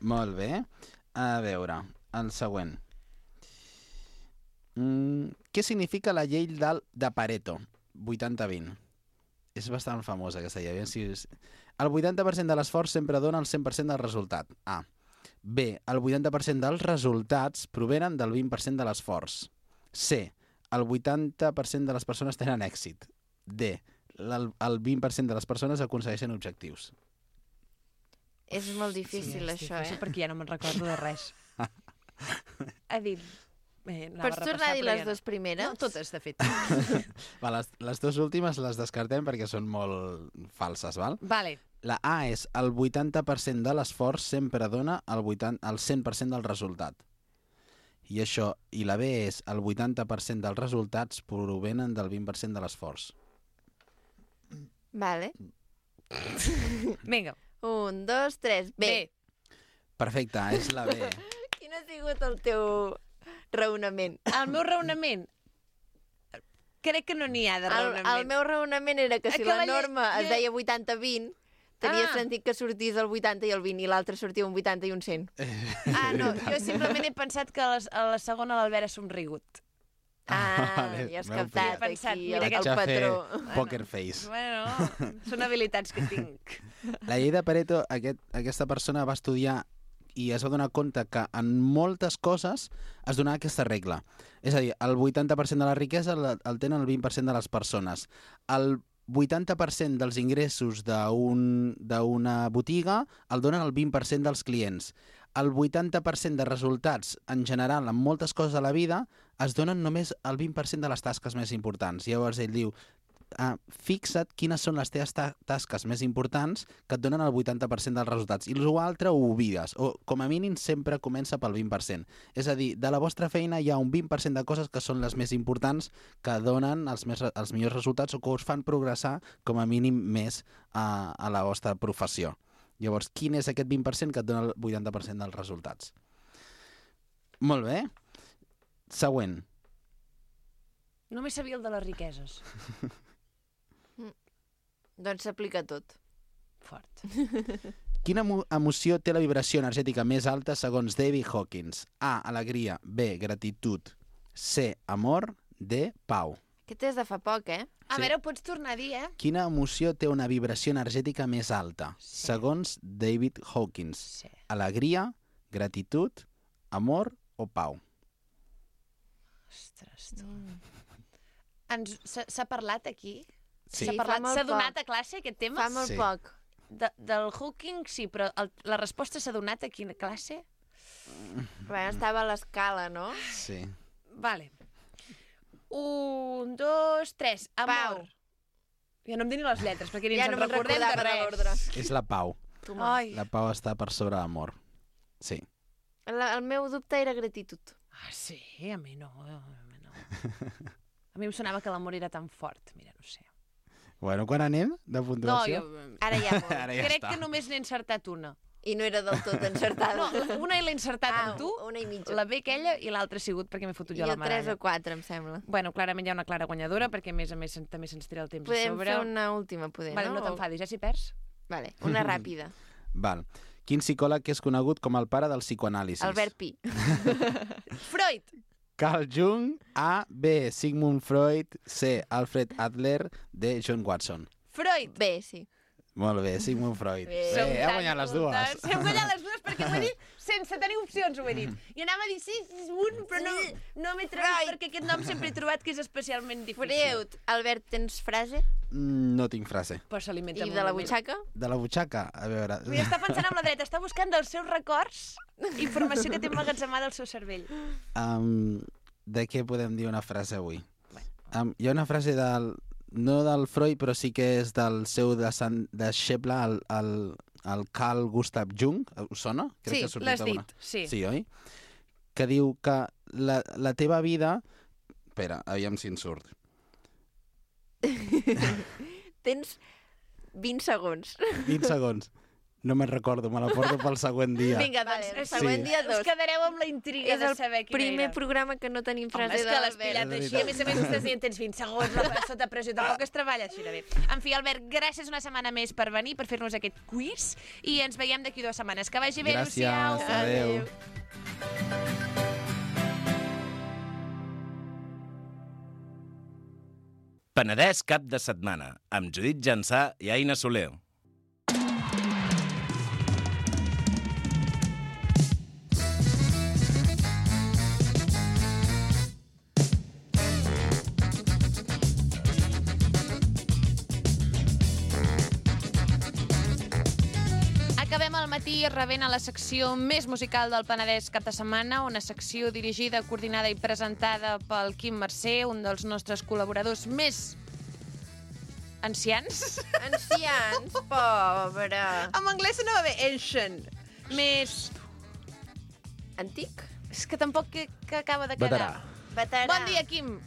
Molt bé. A veure, el següent. Què significa la llei de Pareto? 80-20. És bastant famosa aquesta llei. El 80% de l'esforç sempre dona el 100% del resultat. A. B. El 80% dels resultats provenen del 20% de l'esforç. C. El 80% de les persones tenen èxit. D. El 20% de les persones aconsegueixen objectius. És molt difícil, això, difícil, perquè ja no me'n recordo de res. Ha dit... Pots tornar a dir les dues primeres? No, totes, de fet. Va, les dues últimes les descartem perquè són molt falses, val? Vale. La A és el 80% de l'esforç sempre dona el 100% del resultat. I la B és el 80% dels resultats provenen del 20% de l'esforç. Vale. Vinga. 1, 2, 3, B. Perfecte, és la B. Quin ha sigut el teu raonament? El meu raonament... Crec que no n'hi ha de raonament. El meu raonament era que si la norma es deia 80-20, tenia sentit que sortís el 80 i el 20 i l'altre sortia un 80 i un 100. No, jo simplement he pensat que a la segona l'Albert ha somrigut. Vale, ja has captat aquí el Vaig a patró. fer poker face. Bueno, són habilitats que tinc. La llei de Pareto, aquesta persona va estudiar i es va donar compte que en moltes coses es donava aquesta regla. És a dir, el 80% de la riquesa el tenen el 20% de les persones. El 80% dels ingressos d'una botiga el donen el 20% dels clients. El 80% de resultats, en general, en moltes coses de la vida, es donen només el 20% de les tasques més importants. Llavors ell diu, fixa't quines són les teves tasques més importants que et donen el 80% dels resultats. I l'altre ho oblides, o com a mínim sempre comença pel 20%. És a dir, de la vostra feina hi ha un 20% de coses que són les més importants, que donen els millors resultats o que us fan progressar com a mínim més a la vostra professió. Llavors, quin és aquest 20% que et dona el 80% dels resultats? Molt bé. Següent. Només sabia el de les riqueses. Doncs s'aplica tot. Fort. Quina emoció té la vibració energètica més alta segons David Hawkins? A, alegria. B, gratitud. C, amor. D, pau. Aquest és de fa poc, eh? A veure, ho pots tornar a dir, eh? Quina emoció té una vibració energètica més alta? Segons David Hawkins. Alegria, gratitud, amor o pau? Ostres, tu. S'ha parlat aquí? Sí. S'ha donat a classe aquest tema? Fa molt poc. Del Hawking sí, però la resposta s'ha donat aquí a classe? Bueno, estava a l'escala, no? Sí. Vale. 1, 2, 3. Amor. Pau. Ja no em dic ni les lletres, perquè ni Ja ens no en recordem de res. És la pau. Ai. La pau està per sobre l'amor. Sí. El meu dubte era gratitud. Sí? A mi no. A mi em sonava que l'amor era tan fort. Mira, no sé. Bueno, quan anem de puntuació? Ara ja molt. Ara ja Crec està. que només n'he encertat una. I no era del tot encertada. No, una l'he encertat amb tu, una i mitja. la B aquella, i l'altra ha sigut perquè m'he fotut jo la I medalla. 3 o 4, em sembla. Bueno, clarament hi ha una clara guanyadora, perquè a més també se'ns tira el temps Podem a sobre. fer una última, poder, vale, no? No t'enfadis, ja si perds. Vale, una ràpida. Val. Quin psicòleg és conegut com el pare del psicoanàlisis? Albert Pi. Freud! Carl Jung, A, B, Sigmund Freud, C, Alfred Adler, D, John Watson. Freud! B, sí. Molt bé, Sigmund Freud. Bé. He guanyat les dues. Hem guanyat les dues perquè ho he dit sense tenir opcions, ho he dit. I anava a dir sí, és un, però no m'he trobat perquè aquest nom sempre he trobat que és especialment difícil. Freud. Albert, tens frase? No tinc frase. Però s'alimenta I molt. de la butxaca? De la butxaca? A veure... Vull estar pensant amb la dreta, està buscant dels seus records informació que té emmagatzemada al seu cervell. De què podem dir una frase avui? Hi ha una frase no del Freud, però sí que és del seu deixeble, el Carl Gustav Jung. Us sona? Sí, l'has dit. Sí. Sí, oi? Que diu que la teva vida... Espera, aviam si en surt. Tens 20 segons. 20 segons. No me'n recordo, me la porto pel següent dia. Vinga, doncs, el següent dia 2. Us quedareu amb la intriga de saber quina era. És el primer programa que no tenim frase de l'Albert. Home, és que l'has pillat així. A més a més, estàs dient, tens 20 segons, sota pressió. Tampoc es treballa així de bé. En fi, Albert, gràcies una setmana més per venir, per fer-nos aquest quiz, i ens veiem d'aquí 2 setmanes. Que vagi bé, adéu-siau. Gràcies, adéu. Penedès cap de setmana, amb Judit Jansà i Aina Soler. acabem el matí rebent a la secció més musical del Penedès cap de setmana, una secció dirigida, coordinada i presentada pel Quim Mercè, un dels nostres col·laboradors més ancians. Ancians, pobre. En anglès sonava bé, ancient. Més... Antic? És que tampoc que acaba de quedar. Veterà. Bon dia, Quim.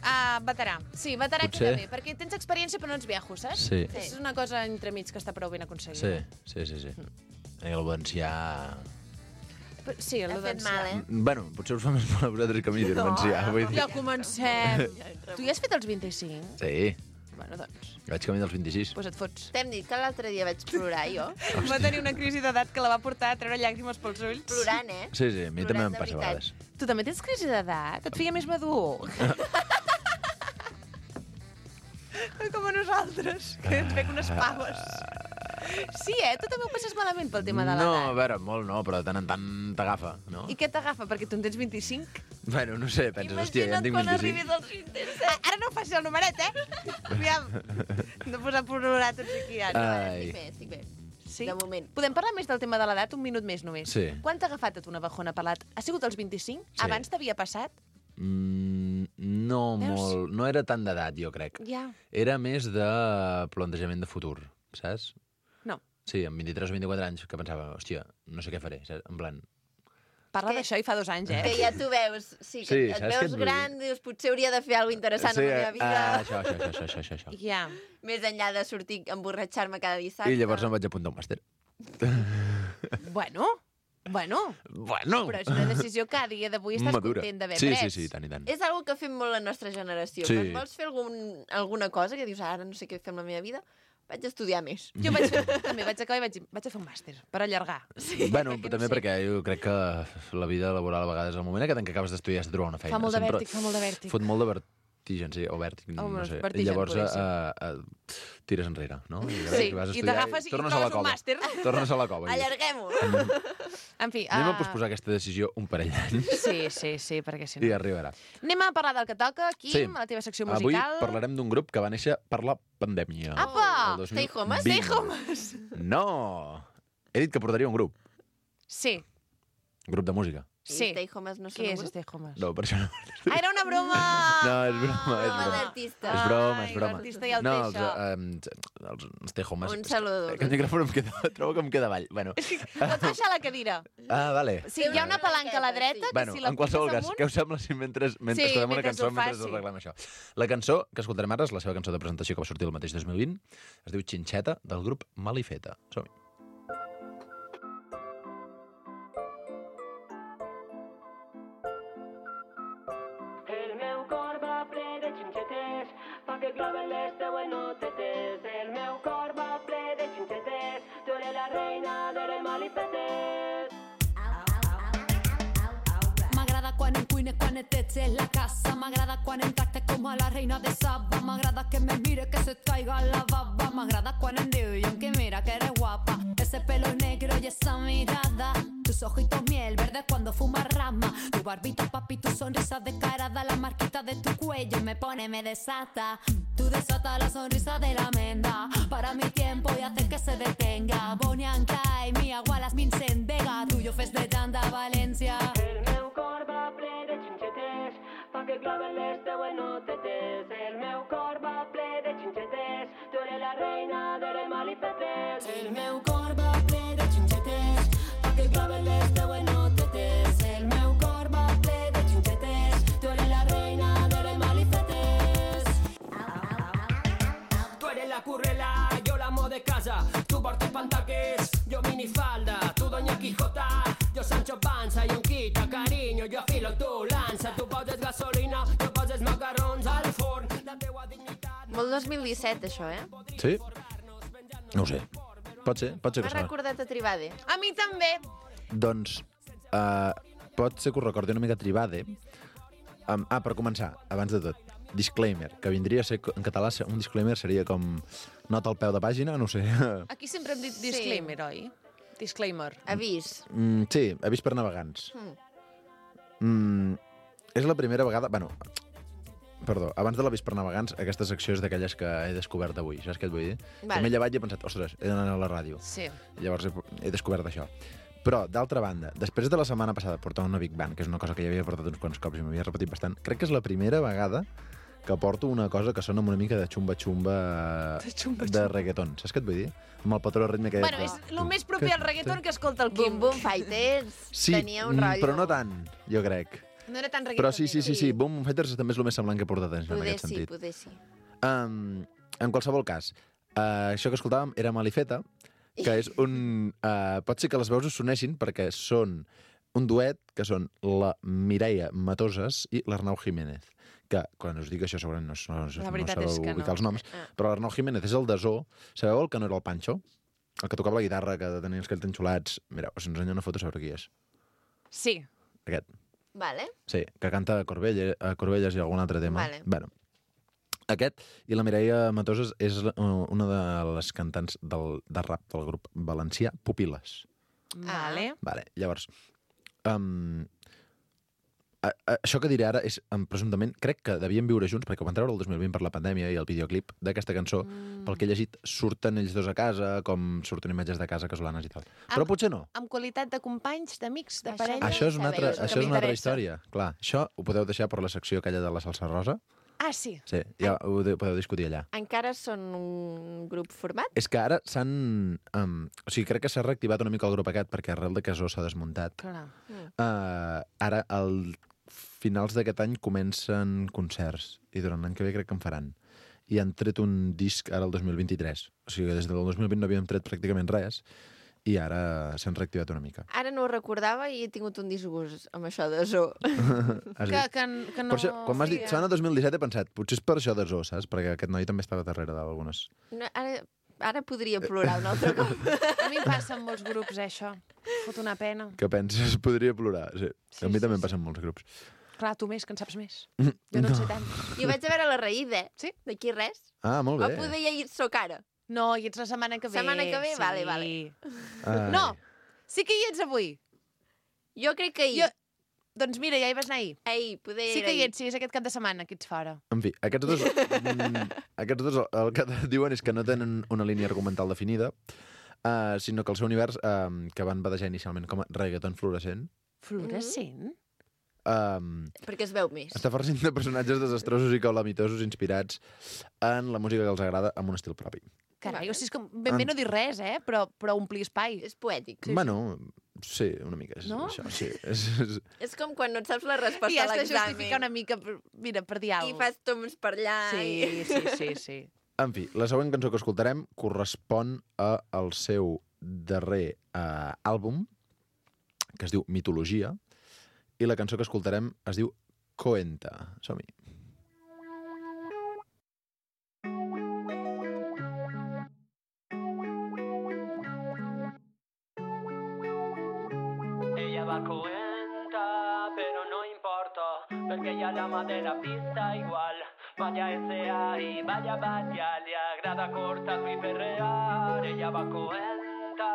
Veterà. Sí, veterà Potser. queda bé, perquè tens experiència però no ets viejos, saps? Sí. És una cosa entremig que està prou ben aconseguida. Sí. El valencià... Sí, el Ha fet valencià. mal, Bueno, potser us fa més mal a vosaltres que a mi dir valencià. Vull dir. Ja comencem. Tu ja has fet els 25? Sí, Bueno, doncs, vaig camí dels 26. et fots. T'hem dit que l'altre dia vaig plorar, jo. Va tenir una crisi d'edat que la va portar a treure llàgrimes pels ulls. Plorant, eh? Sí, a mi també Plorant em de passa a veritat. vegades. Tu també tens crisi d'edat? Et feia més madur? Com a nosaltres, que ens veig unes paves. Sí, tu també ho passes malament pel tema de No, a l'edat. veure, molt no, però de tant en tant t'agafa, no? I què t'agafa? Perquè tu en tens 25? Bueno, no sé, penses, hòstia, ja en tinc 25. als 27. Ara no facis el numeret, Aviam. No posar a plorar tots aquí ara. Estic bé. Sí? De moment. Podem parlar més del tema de l'edat? Un minut més, només. Sí. Quan t'ha agafat a tu una bajona per l'edat? Ha sigut als 25? Sí. Abans t'havia passat? No Veus? molt, no era tant d'edat, jo crec. Ja. Era més de plantejament de futur, saps? No. Sí, amb 23 o 24 anys, que pensava, hòstia, no sé què faré, saps? En plan... Parla d'això i fa 2 anys, Que ja t'ho veus, sí, que Sí, et saps què et veus vull dir? gran, dius, potser hauria de fer alguna cosa interessant amb la meva vida. Això. Ja. Més enllà de sortir a emborratxar-me cada dissabte. I llavors em vaig apuntar a un màster. Bueno, Bueno. però és una decisió que a dia d'avui estàs Madura. content d'haver Sí, pres. sí, tant i tant. És algo que fem molt la nostra generació. Sí. Quan vols fer alguna cosa, que dius, ara no sé què fer amb la meva vida, vaig estudiar més. Jo també vaig acabar i vaig a fer un màster, per allargar. Sí. Bueno, també perquè jo crec que la vida laboral a vegades, al moment aquest en què acabes d'estudiar, has de trobar una feina. Fa molt de Sempre vèrtic, fa molt de vèrtic. Fot molt de vertigen, sí, o vèrtic, no sé. vertigen, I llavors podria tires enrere, no? I Sí, vas a i estudiar t'agafes i tornes a la trobes un cova. màster. Tornes a la cova. Allarguem-ho. En fi... Anem a posposar aquesta decisió un parell d'anys Sí, perquè si i no... arribarà. Anem a parlar del que toca, Quim, Sí. a la teva secció Avui musical. parlarem d'un grup que va néixer per la pandèmia. Apa! El 2020. Stay Homes? Stay Homes! No! He dit que portaria un grup. Sí, Grup de música. sí. Stay Homes no són Què un és grup? Stay Homes? No, per això no. Ah, era una broma! No, és broma, és Broma broma. d'artista. És broma, és Ai, broma. l'artista ja el no, té, els Stay Homes... Un saludo. Que el micròfon em queda... Trobo que em queda avall. Bueno. Pots baixar la cadira. Ah, vale. Sí, hi ha una palanca a la dreta, que Bueno, si la en qualsevol poses cas, amunt... què us sembla si mentre Sí, escoltem una mentre cançó, ho fas, mentre sí. arreglem això? La cançó que escoltarem ara és la seva cançó de presentació que va sortir el mateix 2020. Es diu Xinxeta, del grup Malifeta. Som-hi. El meu cor va ple de xinxetes, fa que claven les teues notetes. El meu cor va ple de xinxetes, tu eres la reina de les malifetes. M'agrada quan em cuines, quan et en la casa. M'agrada quan em tractes com a la reina de Saba. M'agrada que me mire, que se caiga la baba. M'agrada quan em diu i que mira que eres guapa. Ese pelo negro y esa mirada. Tus ojitos miel verdes cuando fumas rama. Tu barbita, papi, tu sonrisa descarada. La marquita de tu cuello me pone, me desata. Tú desatas la sonrisa de la menda. Para mi tiempo y hace que se detenga. Bonianca y mi agualas Vincent Vega. Tuyo fes de tanta Valencia. El meu cor va ple de xinxetes, fa que claven les teues notetes. El meu cor va ple de xinxetes, tu eres la reina de les malifetes. El meu cor va ple de xinxetes, fa que claven les teues notetes. El meu cor va ple de xinxetes, tu eres la reina de les malifetes. Tu eres la currela, yo la amo de casa. Tu portes pantaques, yo minifalda. Tu doña Quijota, yo Sancho Panza i un quita carinyo, jo afilo, tu lança. Tu poses gasolina, jo poses macarrons al forn. La teua dignitat... Molt 2017, això, eh? Sí? No ho sé. Pot ser que M'ha sona. recordat a Tribade. A mi també. Doncs pot ser que us recordi una mica Tribade. Per començar, abans de tot, disclaimer, que vindria a ser, en català, un disclaimer seria com nota al peu de pàgina, no ho sé. Aquí sempre hem dit disclaimer, oi? Disclaimer. Avís. Sí, avís per navegants. És la primera vegada... Bueno, Perdó, abans de l'avís per navegants, aquesta secció és d'aquelles que he descobert avui, saps què et vull dir? Vale. M'he llevat i he pensat, ostres, he d'anar a la ràdio. Sí. Llavors he descobert això. Però, d'altra banda, després de la setmana passada portar una Big Band, que és una cosa que ja havia portat uns quants cops i m'havia repetit bastant, crec que és la primera vegada que porto una cosa que sona amb una mica de xumba-xumba de reggaeton. Saps què et vull dir? Amb el patró ritme que... Bueno, és el més proper al reggaeton que escolta el Quim. Boom Fighters tenia un rotllo. Però no tant, jo crec. No era tan reggaeton. Però sí. Boom Fighters també és el més semblant que he portat en aquest sentit. Poder sí. En qualsevol cas, això que escoltàvem era Malifeta, que és un... pot ser que les veus us soneixin perquè són un duet que són la Mireia Matoses i l'Arnau Jiménez, que quan us dic això segurament no sabeu ubicar els noms, però l'Arnau Jiménez és el de Zoo. Sabeu el que no era el Pancho? El que tocava la guitarra, que tenia els quells enxulats. Mireu, us ensenyo una foto sobre qui és. Sí. Aquest. Vale. Sí, que canta a Corbelles i algun altre tema. Vale. Bueno, aquest i la Mireia Matoses és una de les cantants de rap del grup valencià Pupil·les. Vale. Llavors, això que diré ara és, presumptament, crec que devien viure junts, perquè ho van treure el 2020 per la pandèmia i el videoclip d'aquesta cançó, pel que he llegit, surten ells dos a casa, com surten imatges de casa casolanes i tal. Però potser no. Amb qualitat de companys, d'amics, de parella... Això és una altra història. Clar, això ho podeu deixar per la secció aquella de la salsa rosa. Ah, sí? Sí, ja ho podeu discutir allà. Encara són un grup format? És que ara s'han... o sigui, crec que s'ha reactivat una mica el grup aquest, perquè arrel de que Zoo s'ha desmuntat. Clar. Ara, al finals d'aquest any, comencen concerts, i durant l'any que ve crec que en faran. I han tret un disc ara el 2023. O sigui, des del 2020 no havíem tret pràcticament res, i ara s'han reactivat una mica. Ara no ho recordava i he tingut un disgust amb això de Zoo. que no... Per això, quan m'has dit Sana 2017 he pensat, potser és per això de Zoo, saps? Perquè aquest noi també estava darrere d'algunes. No, ara podria plorar un altre cop. A mi em passa amb molts grups, això. Fot una pena. Què penses? Podria plorar, sí. A mi també em passa amb molts grups. Clar, tu més, que en saps més. Jo no en sé tant. Jo vaig a veure la Raïda, sí? D'aquí res. Ah, molt bé. O poder ja hi soc ara. No, hi ets la setmana que ve. Setmana que ve? Sí. Vale. No, sí que hi ets avui. Jo crec que ahir. Doncs mira, ja hi vas anar ahir. Poder sí que hi ets, sí, és aquest cap de setmana que ets fora. En fi, aquests dos el que diuen és que no tenen una línia argumental definida, sinó que el seu univers, que van badejar inicialment com a reggaeton fluorescent... Fluorescent? Perquè es veu més. Està farcint de personatges desastrosos i calamitosos inspirats en la música que els agrada amb un estil propi. Carai, o sigui, és que ben bé no dir res, però omplir espai. És poètic. Sí, bueno, sí, una mica. És no? Això, sí. És com quan no et saps la resposta a l'examen. I has de justificar una mica, mira, per dir alguna cosa. I fas toms per allà. Sí. En fi, la següent cançó que escoltarem correspon al seu darrer àlbum, que es diu Mitologia, i la cançó que escoltarem es diu Coenta. Som-hi. Ella va Coenta, però no importa, perquè ella l'ama de la pista igual. Vaya S.A. y vaya le agrada cortar y perrear. Ella va Coenta,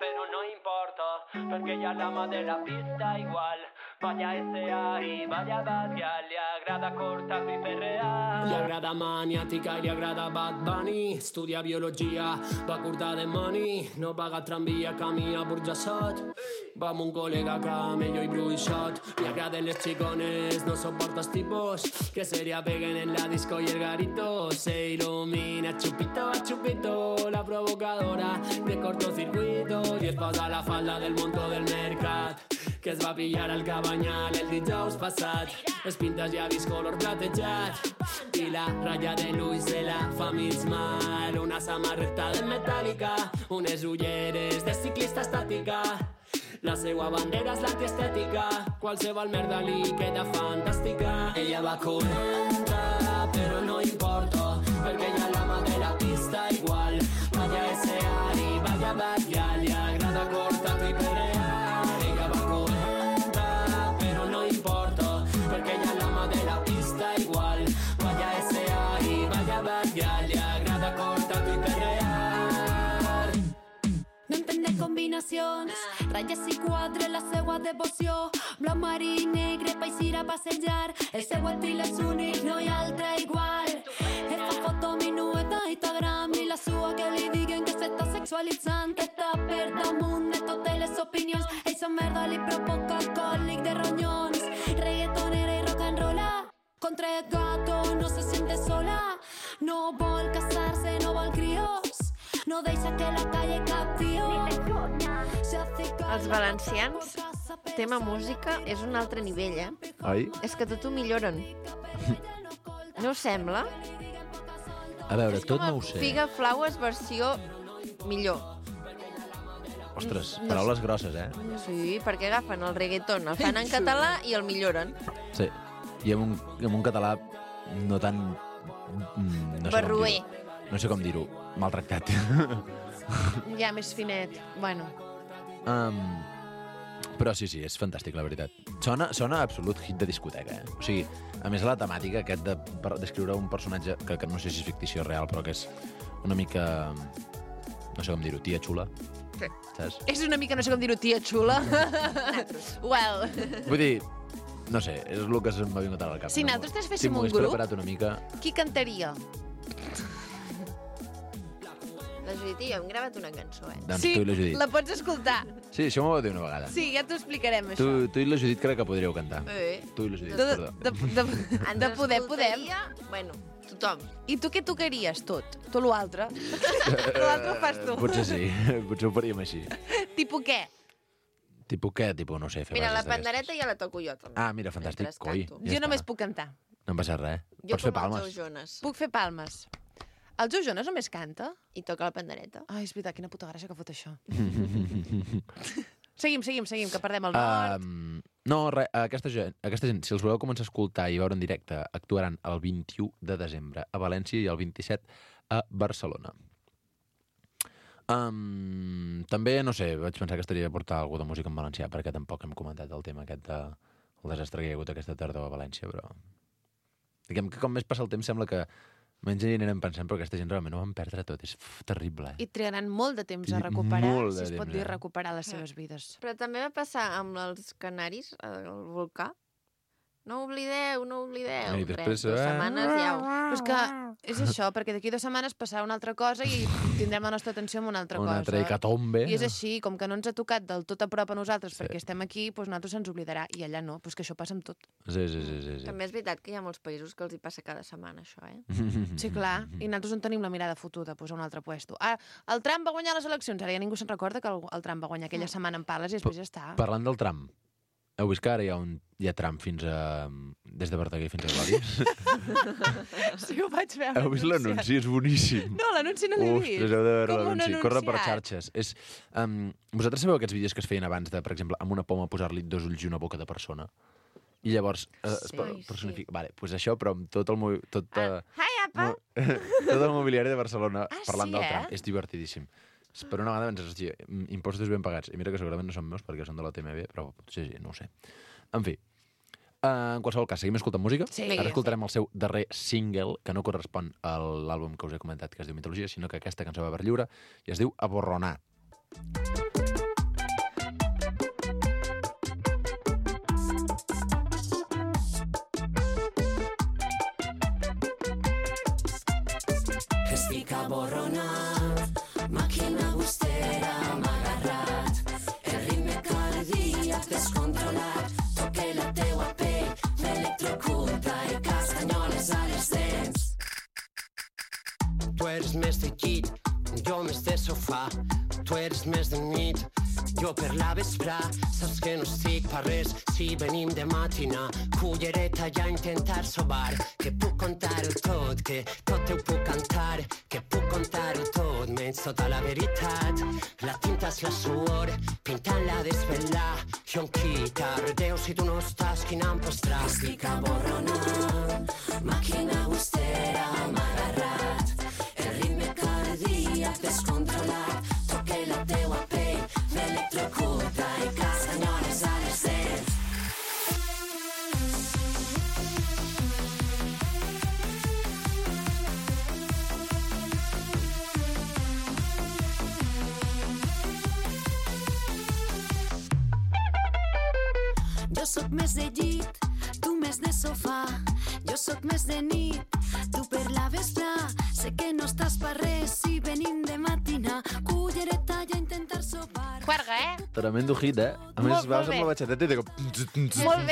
però no importa, perquè ella l'ama de la pista igual. Vaya S.A. y vaya le agrada cortar y perrear. Li agrada maniàtica i li agrada Bad Bunny. Estudia biologia, va curta de money. No paga tramvia, camina burjassot. Va amb un col·lega camello i bruixot. Li agraden les xicones, no soporta els tipos que se li apeguen en la disco y el garito. Se ilumina chupito a chupito, la provocadora de cortocircuito. I es posa la falda del monto del mercat, que es va pillar al Cabanyal el dijous passat. Les pintes ja vist color platejat i la ratlla de l'ull se la fa mig mal. Una samarreta de metàl·lica, unes ulleres de ciclista estàtica. La seva bandera és l'antiestètica, qualsevol merda li queda fantàstica. Ella va Coenta, però no importa, perquè ella l'ama de la pista igual. Vaya S.A. y vaya Batlla, li agrada cortar i perrear. Ella va Coenta, però no importa, perquè ella l'ama de la pista igual. Vaya S.A. y vaya Batlla, li agrada cortar i perrear. No entender con combinacions, ratlles i quadres, la seua devoció, blau marí i negre, país ir a passejar, el seu estil és únic, no hi ha altre igual. Ell fa foto minueta a Instagram i la sua que li diguen que s'està sexualitzant, que està per damunt de totes les opinions. Ell sa merda li provoca còlic de ronyons, reggaetonera i rock and rolla. Contra el gato no se siente sola, no vol casar-se, no vol crios, no deixa que la calle captió. Els valencians, tema música, és un altre nivell, Oi? És que tot ho milloren. No us sembla? A veure, tot no ho sé. Figa Flaues versió millor. Ostres, paraules grosses, Sí, perquè agafen el reggaeton, el fan en català i el milloren. Sí, i amb un català no tan... Barroer. No sé com dir-ho, maltractat. Ja, més finet. Bueno. Però sí, és fantàstic, la veritat. Sona absolut hit de discoteca, O sigui, a més la temàtica aquest de descriure un personatge que no sé si és fictició real, però que és una mica... No sé com dir-ho, tia xula. Sí. Saps? És una mica, no sé com dir-ho, tia xula. Well. Vull dir, no sé, és el que se'm va vingut al cap. Si nosaltres féssim un grup... Si m'ho hagués preparat una mica... Qui cantaria? La Judit i jo hem gravat una cançó, Doncs sí, tu i la Judit. la pots escoltar. Sí, això m'ho vau dir una vegada. Sí, ja t'ho explicarem, això. Tu i la Judit crec que podríeu cantar. Tu i la Judit, perdó. De poder, podem. Bueno, tothom. I tu què tocaries, tot? Tu l'altre? L'altre ho fas tu. Potser sí, potser ho faríem així. Tipo què? Tipo què? Tipo, no sé, fer Mira, la bases pandereta ja la toco jo, també. Ah, mira, fantàstic. Coi, jo només puc cantar. No em passa res. Jo Pots fer palmes. Jonas. Puc fer palmes. El Joe Jonas només canta? I toca la pandereta. Ai, és veritat, quina puta gràcia que fot això. Seguim, que perdem el nord. No, res, aquesta gent, si els voleu començar a escoltar i veure en directe, actuaran el 21 de desembre a València i el 27 a Barcelona. També, no sé, vaig pensar que estaria de portar alguna de música en valencià, perquè tampoc hem comentat el tema aquest del desastre que hi ha hagut aquesta tardor a València, però... Diguem que com més passa el temps sembla que menys hi anirem pensant, però aquesta gent realment ho van perdre tot, és terrible. I triaran molt de temps a recuperar, si es pot dir recuperar les seves vides. Però també va passar amb els canaris, el volcà. No oblideu. I després... 2 setmanes ja Però és que és això, perquè d'aquí 2 setmanes passarà una altra cosa i tindrem la nostra atenció en una altra cosa. Una altra hecatombe. I és així, com que no ens ha tocat del tot a prop a nosaltres perquè estem aquí, doncs nosaltres se'ns oblidarà. I allà no, doncs que això passa amb tot. Sí. També és veritat que hi ha molts països que els hi passa cada setmana, això, Sí, clar. I nosaltres on tenim la mirada fotuda, doncs a un altre puesto. El Trump va guanyar les eleccions, ara ja ningú se'n recorda que el Trump va guanyar aquella setmana en pales i després ja està. Parlant del Trump, heu vist que ara hi ha Trump des de Verdaguer fins a Glòries? Sí, ho vaig veure. Heu vist l'anunci? És boníssim. No, l'anunci no l'he vist. Ostres, heu de veure l'anunci. Corre per xarxes. Vosaltres sabeu aquests vídeos que es feien abans de, per exemple, amb una poma posar-li 2 ulls i una boca de persona? I llavors es personifica... Vale, doncs això, però amb tot el... Tot el mobiliari de Barcelona parlant del Trump. És divertidíssim. Per una banda penses, hòstia, impostos ben pagats. I mira que segurament no són meus perquè són de la TMB, però potser sí, no ho sé. En fi, en qualsevol cas, seguim escoltant música. Sí. Ara escoltarem el seu darrer single, que no correspon a l'àlbum que us he comentat, que es diu Mitologia, sinó que aquesta cançó va per lliure i es diu Aborronar. Estic aborronat, màquina bustera m'ha agarrat, el ritme cardíac descontrolat, toque la teua pell, m'electrocuta i castanyoles a les dents. Tu eres més de llit, jo més de sofà, tu eres més de nit, jo per la vesprà, saps que no estic per res si venim de matina, cullereta ja a intentar sobar, que puc contar-ho tot, que tot ho puc cantar, que puc contar-ho tot, menys tota la veritat. La tinta és la suor, pintant-la desvelar, jo em quita, redeu si tu no estàs, quina em posarà. Estic aborronant, màquina bustera m'ha agarrat, el ritme cardíac descontrolat, toque la teua pell, m'electrocuta i castanyoles a les dents. Jo sóc més de llit, tu més de sofà. Jo sóc més de nit, tu per la vespre. Sé que no estàs per res si venim de matina. Cullereta i a intentar sopar. Juerga, Tremendo hit, A més, vas amb la batxeteta i de cop... Molt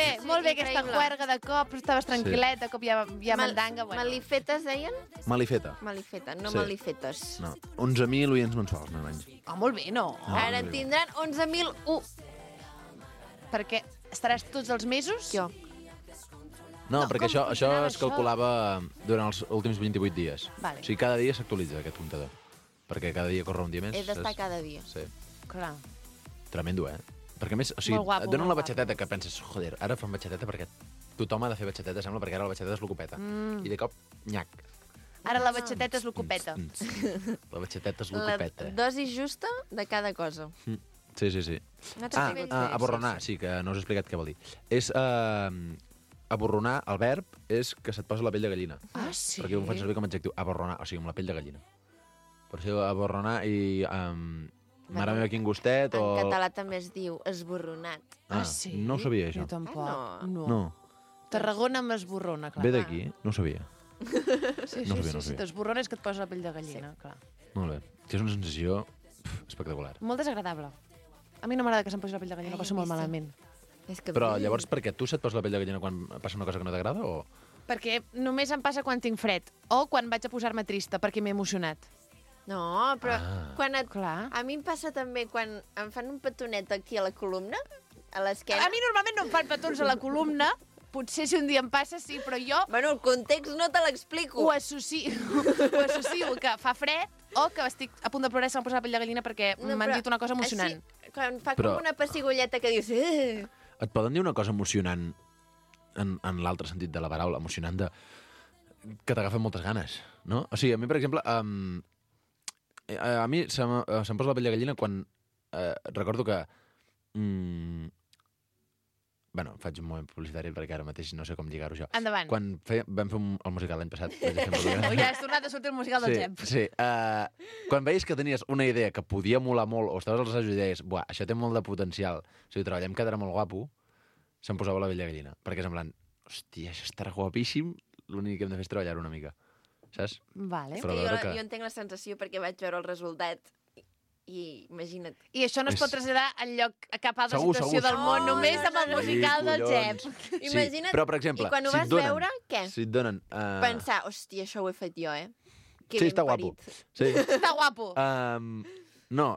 bé aquesta juerga de cop, estaves tranquil·let, de cop ja mandanga. Malifetes deien? Malifeta. Malifeta, no malifetes. No, 11.000 oients mensuals, menys. Molt bé, no? Ara en tindran 11.001. Perquè estaràs tots els mesos? Jo. No, perquè això es calculava durant els últims 28 dies. Vale. O sigui, cada dia s'actualitza aquest comptador. Perquè cada dia corre un dia més. He d'estar cada dia. Sí. Clar. Tremendo, Perquè a més, o sigui, et donen la batxeteta que penses, joder, ara fan batxeteta perquè tothom ha de fer batxeteta, sembla, perquè ara la batxeteta és l'ocupeta. I de cop, nyac. Ara la batxeteta és l'ocupeta. La batxeteta és l'ocupeta. La dosi justa de cada cosa. Sí. Aborronar, sí, que no us he explicat què vol dir. És... aborronar, el verb, és que se't posa la pell de gallina. Ah, sí? Perquè ho faig servir com a adjectiu. Aborronar, o sigui, amb la pell de gallina. Per això aborronar i... mare meva, quin gustet, o... En català també es diu esborronat. Sí? No ho sabia, això. Jo tampoc. No. Tarragona amb esborrona, clar. Ve d'aquí? No ho sabia. Sí, t'esborrona és que et posa la pell de gallina, clar. Molt bé. Que és una sensació espectacular. Molt desagradable. A mi no m'agrada que se'm posi la pell de gallina, passo molt malament. Però llavors perquè tu se't posa la pell de gallina quan passa una cosa que no t'agrada, o...? Perquè només em passa quan tinc fred o quan vaig a posar-me trista perquè m'he emocionat. No, però quan Clar. A mi em passa també quan em fan un petonet aquí a la columna, a l'esquena. A mi normalment no em fan petons a la columna, potser si un dia em passa, sí, però jo... Bueno, el context no te l'explico. Ho associo que fa fred o que estic a punt de plorar i se m'ha posat la pell de gallina perquè m'han dit una cosa emocionant. Així, quan fa com una pessigolleta que dius... Et poden dir una cosa emocionant en l'altre sentit de la paraula, emocionant de... que t'agafen moltes ganes, no? O sigui, a mi, per exemple, a mi se'm posa la pell de gallina quan recordo que... Bueno, faig un moment publicitari perquè ara mateix no sé com lligar-ho això. Endavant. Quan vam fer el musical l'any passat... Ja has tornat a sortir el musical del Gep. Sí. Quan veies que tenies una idea que podia molar molt o estaves als assajos i deies, buah, això té molt de potencial, o sigui, treballem quedarà molt guapo, se'm posava la pell de gallina. Perquè és en plan, hòstia, això estarà guapíssim, l'únic que hem de fer és treballar una mica. Saps? Vale. Però jo entenc la sensació perquè vaig veure el resultat i imagina't. I això no es pot traslladar enlloc a cap altra situació del món, només amb el musical del Gep. Imagina't, però, per exemple, i quan ho vas veure, què? Si et donen... Pensar, hòstia, això ho he fet jo, Que sí, ben està parit. guapo. Sí. Està guapo. No,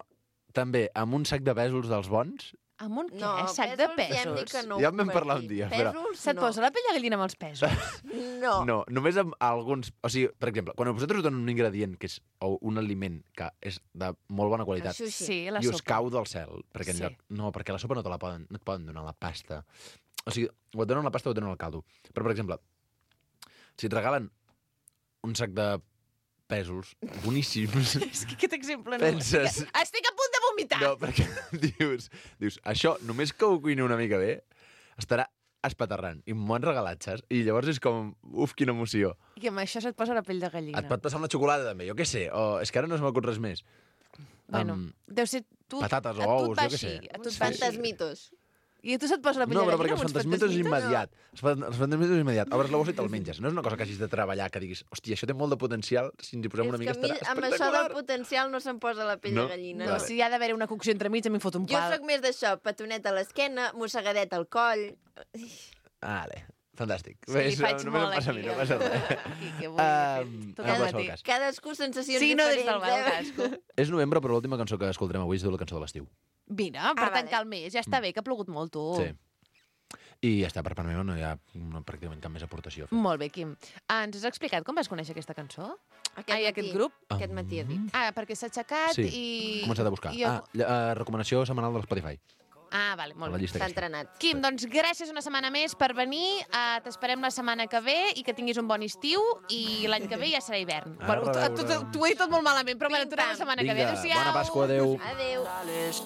també, amb un sac de pèsols dels bons... Amb un què? No, Sac de pèsols? pèsols? Ja en vam parlar un dia, però... Se't posa la pell de gallina amb els pèsols? No. No, només amb alguns... O sigui, per exemple, quan a vosaltres us donen un ingredient que és, o un aliment que és de molt bona qualitat Sí, la i us sopa. cau del cel, perquè en lloc... No, perquè la sopa no et poden donar la pasta. O sigui, o et donen la pasta o et donen el caldo. Però, per exemple, si et regalen un sac de pèsols boníssims... És que aquest exemple no... Penses... Estic a punt de vomitar! No, perquè dius, això, només que ho cuini una mica bé, estarà espaterrant. I m'ho han regalat, saps? I llavors és com, uf, quina emoció. I amb això se't posa la pell de gallina. Et pot passar amb la xocolata, també, jo què sé. O és que ara no se m'acut res més. Bueno, deu ser... Patates o ous, jo què sé. A tu et va així. Fantasmitos. I a tu se't posa la pell No, de però gallina perquè els fantasmitos és immediat. Els fantasmitos és immediat. Obres la bossa i te'l menges. No és una cosa que hagis de treballar, que diguis, hòstia, això té molt de potencial, si ens hi posem una mica estarà espectacular. Amb això del potencial no se'm posa la pell de gallina. No, si hi ha d'haver una cocció entremig, a mi em fot un pal. Jo sóc més d'això, petonet a l'esquena, mossegadet al coll... Vale, fantàstic. Sí, faig molt aquí. No passa res. Cadascú sensacions diferents. Sí, no des del cadascú. És novembre, però l'última cançó que escoltarem avui és de la cançó de l'estiu. Mira, per tancar el mes, ja està bé, que ha plogut molt, tu. Sí. I ja està, per part meva no hi ha pràcticament cap més aportació. Molt bé, Quim. Ens has explicat com vas conèixer aquesta cançó? Aquest grup? Aquest matí ha dit. Perquè s'ha aixecat i... Sí, he començat a buscar. Recomanació setmanal de l'Spotify. Vale, molt bé. S'ha entrenat. Quim, doncs gràcies una setmana més per venir. T'esperem la setmana que ve i que tinguis un bon estiu i l'any que ve ja serà hivern. T'ho he dit tot molt malament, però bueno, tornem la setmana que ve. Adéu-siau. Bona Pasqua, adéu. Adéu.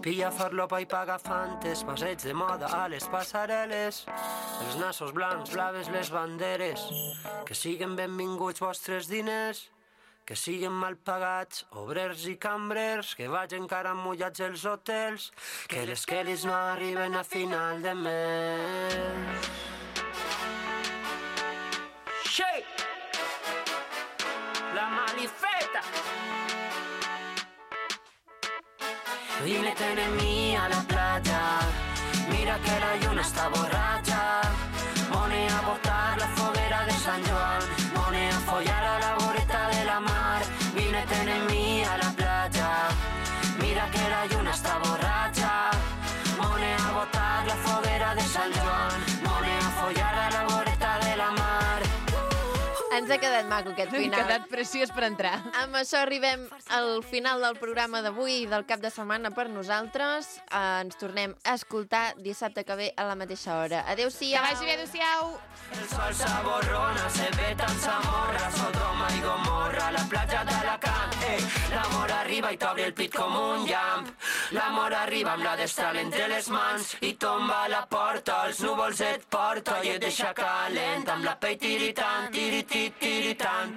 Pilla farlopa i paga fantes, passeig de moda a les passarel·les, els nassos blancs, blaves les banderes, que siguen benvinguts vostres diners, que siguen mal pagats, obrers i cambrers, que vagin encara mullats els hotels, que les Kellys no arriben a final de mes. Shake! La malifeta! Vínete en mí a la playa, mira que la lluna está borracha. Mone a botar la foguera de San Joan, mone a follar a la voreta de la mar. Vínete en mí a la playa, mira que la lluna está borracha. Mone a botar la foguera de San Joan, mone a follar a la voreta de la mar. Ens ha quedat maco aquest final. Ha quedat preciós per entrar. Amb això arribem al final del programa d'avui i del cap de setmana per nosaltres. Ens tornem a escoltar dissabte que ve a la mateixa hora. Adéu-siau. Que vagi bé, adéu-siau. El sol s'aborrona, se ve tan Zamorra, Sodoma i Gomorra, la platja d'Alacant. L'amor arriba i t'obre el pit com un llamp. L'amor arriba amb la destral entre les mans i tomba a la porta, els núvols et porta i et deixa calent amb la pell tiritant, tiritant.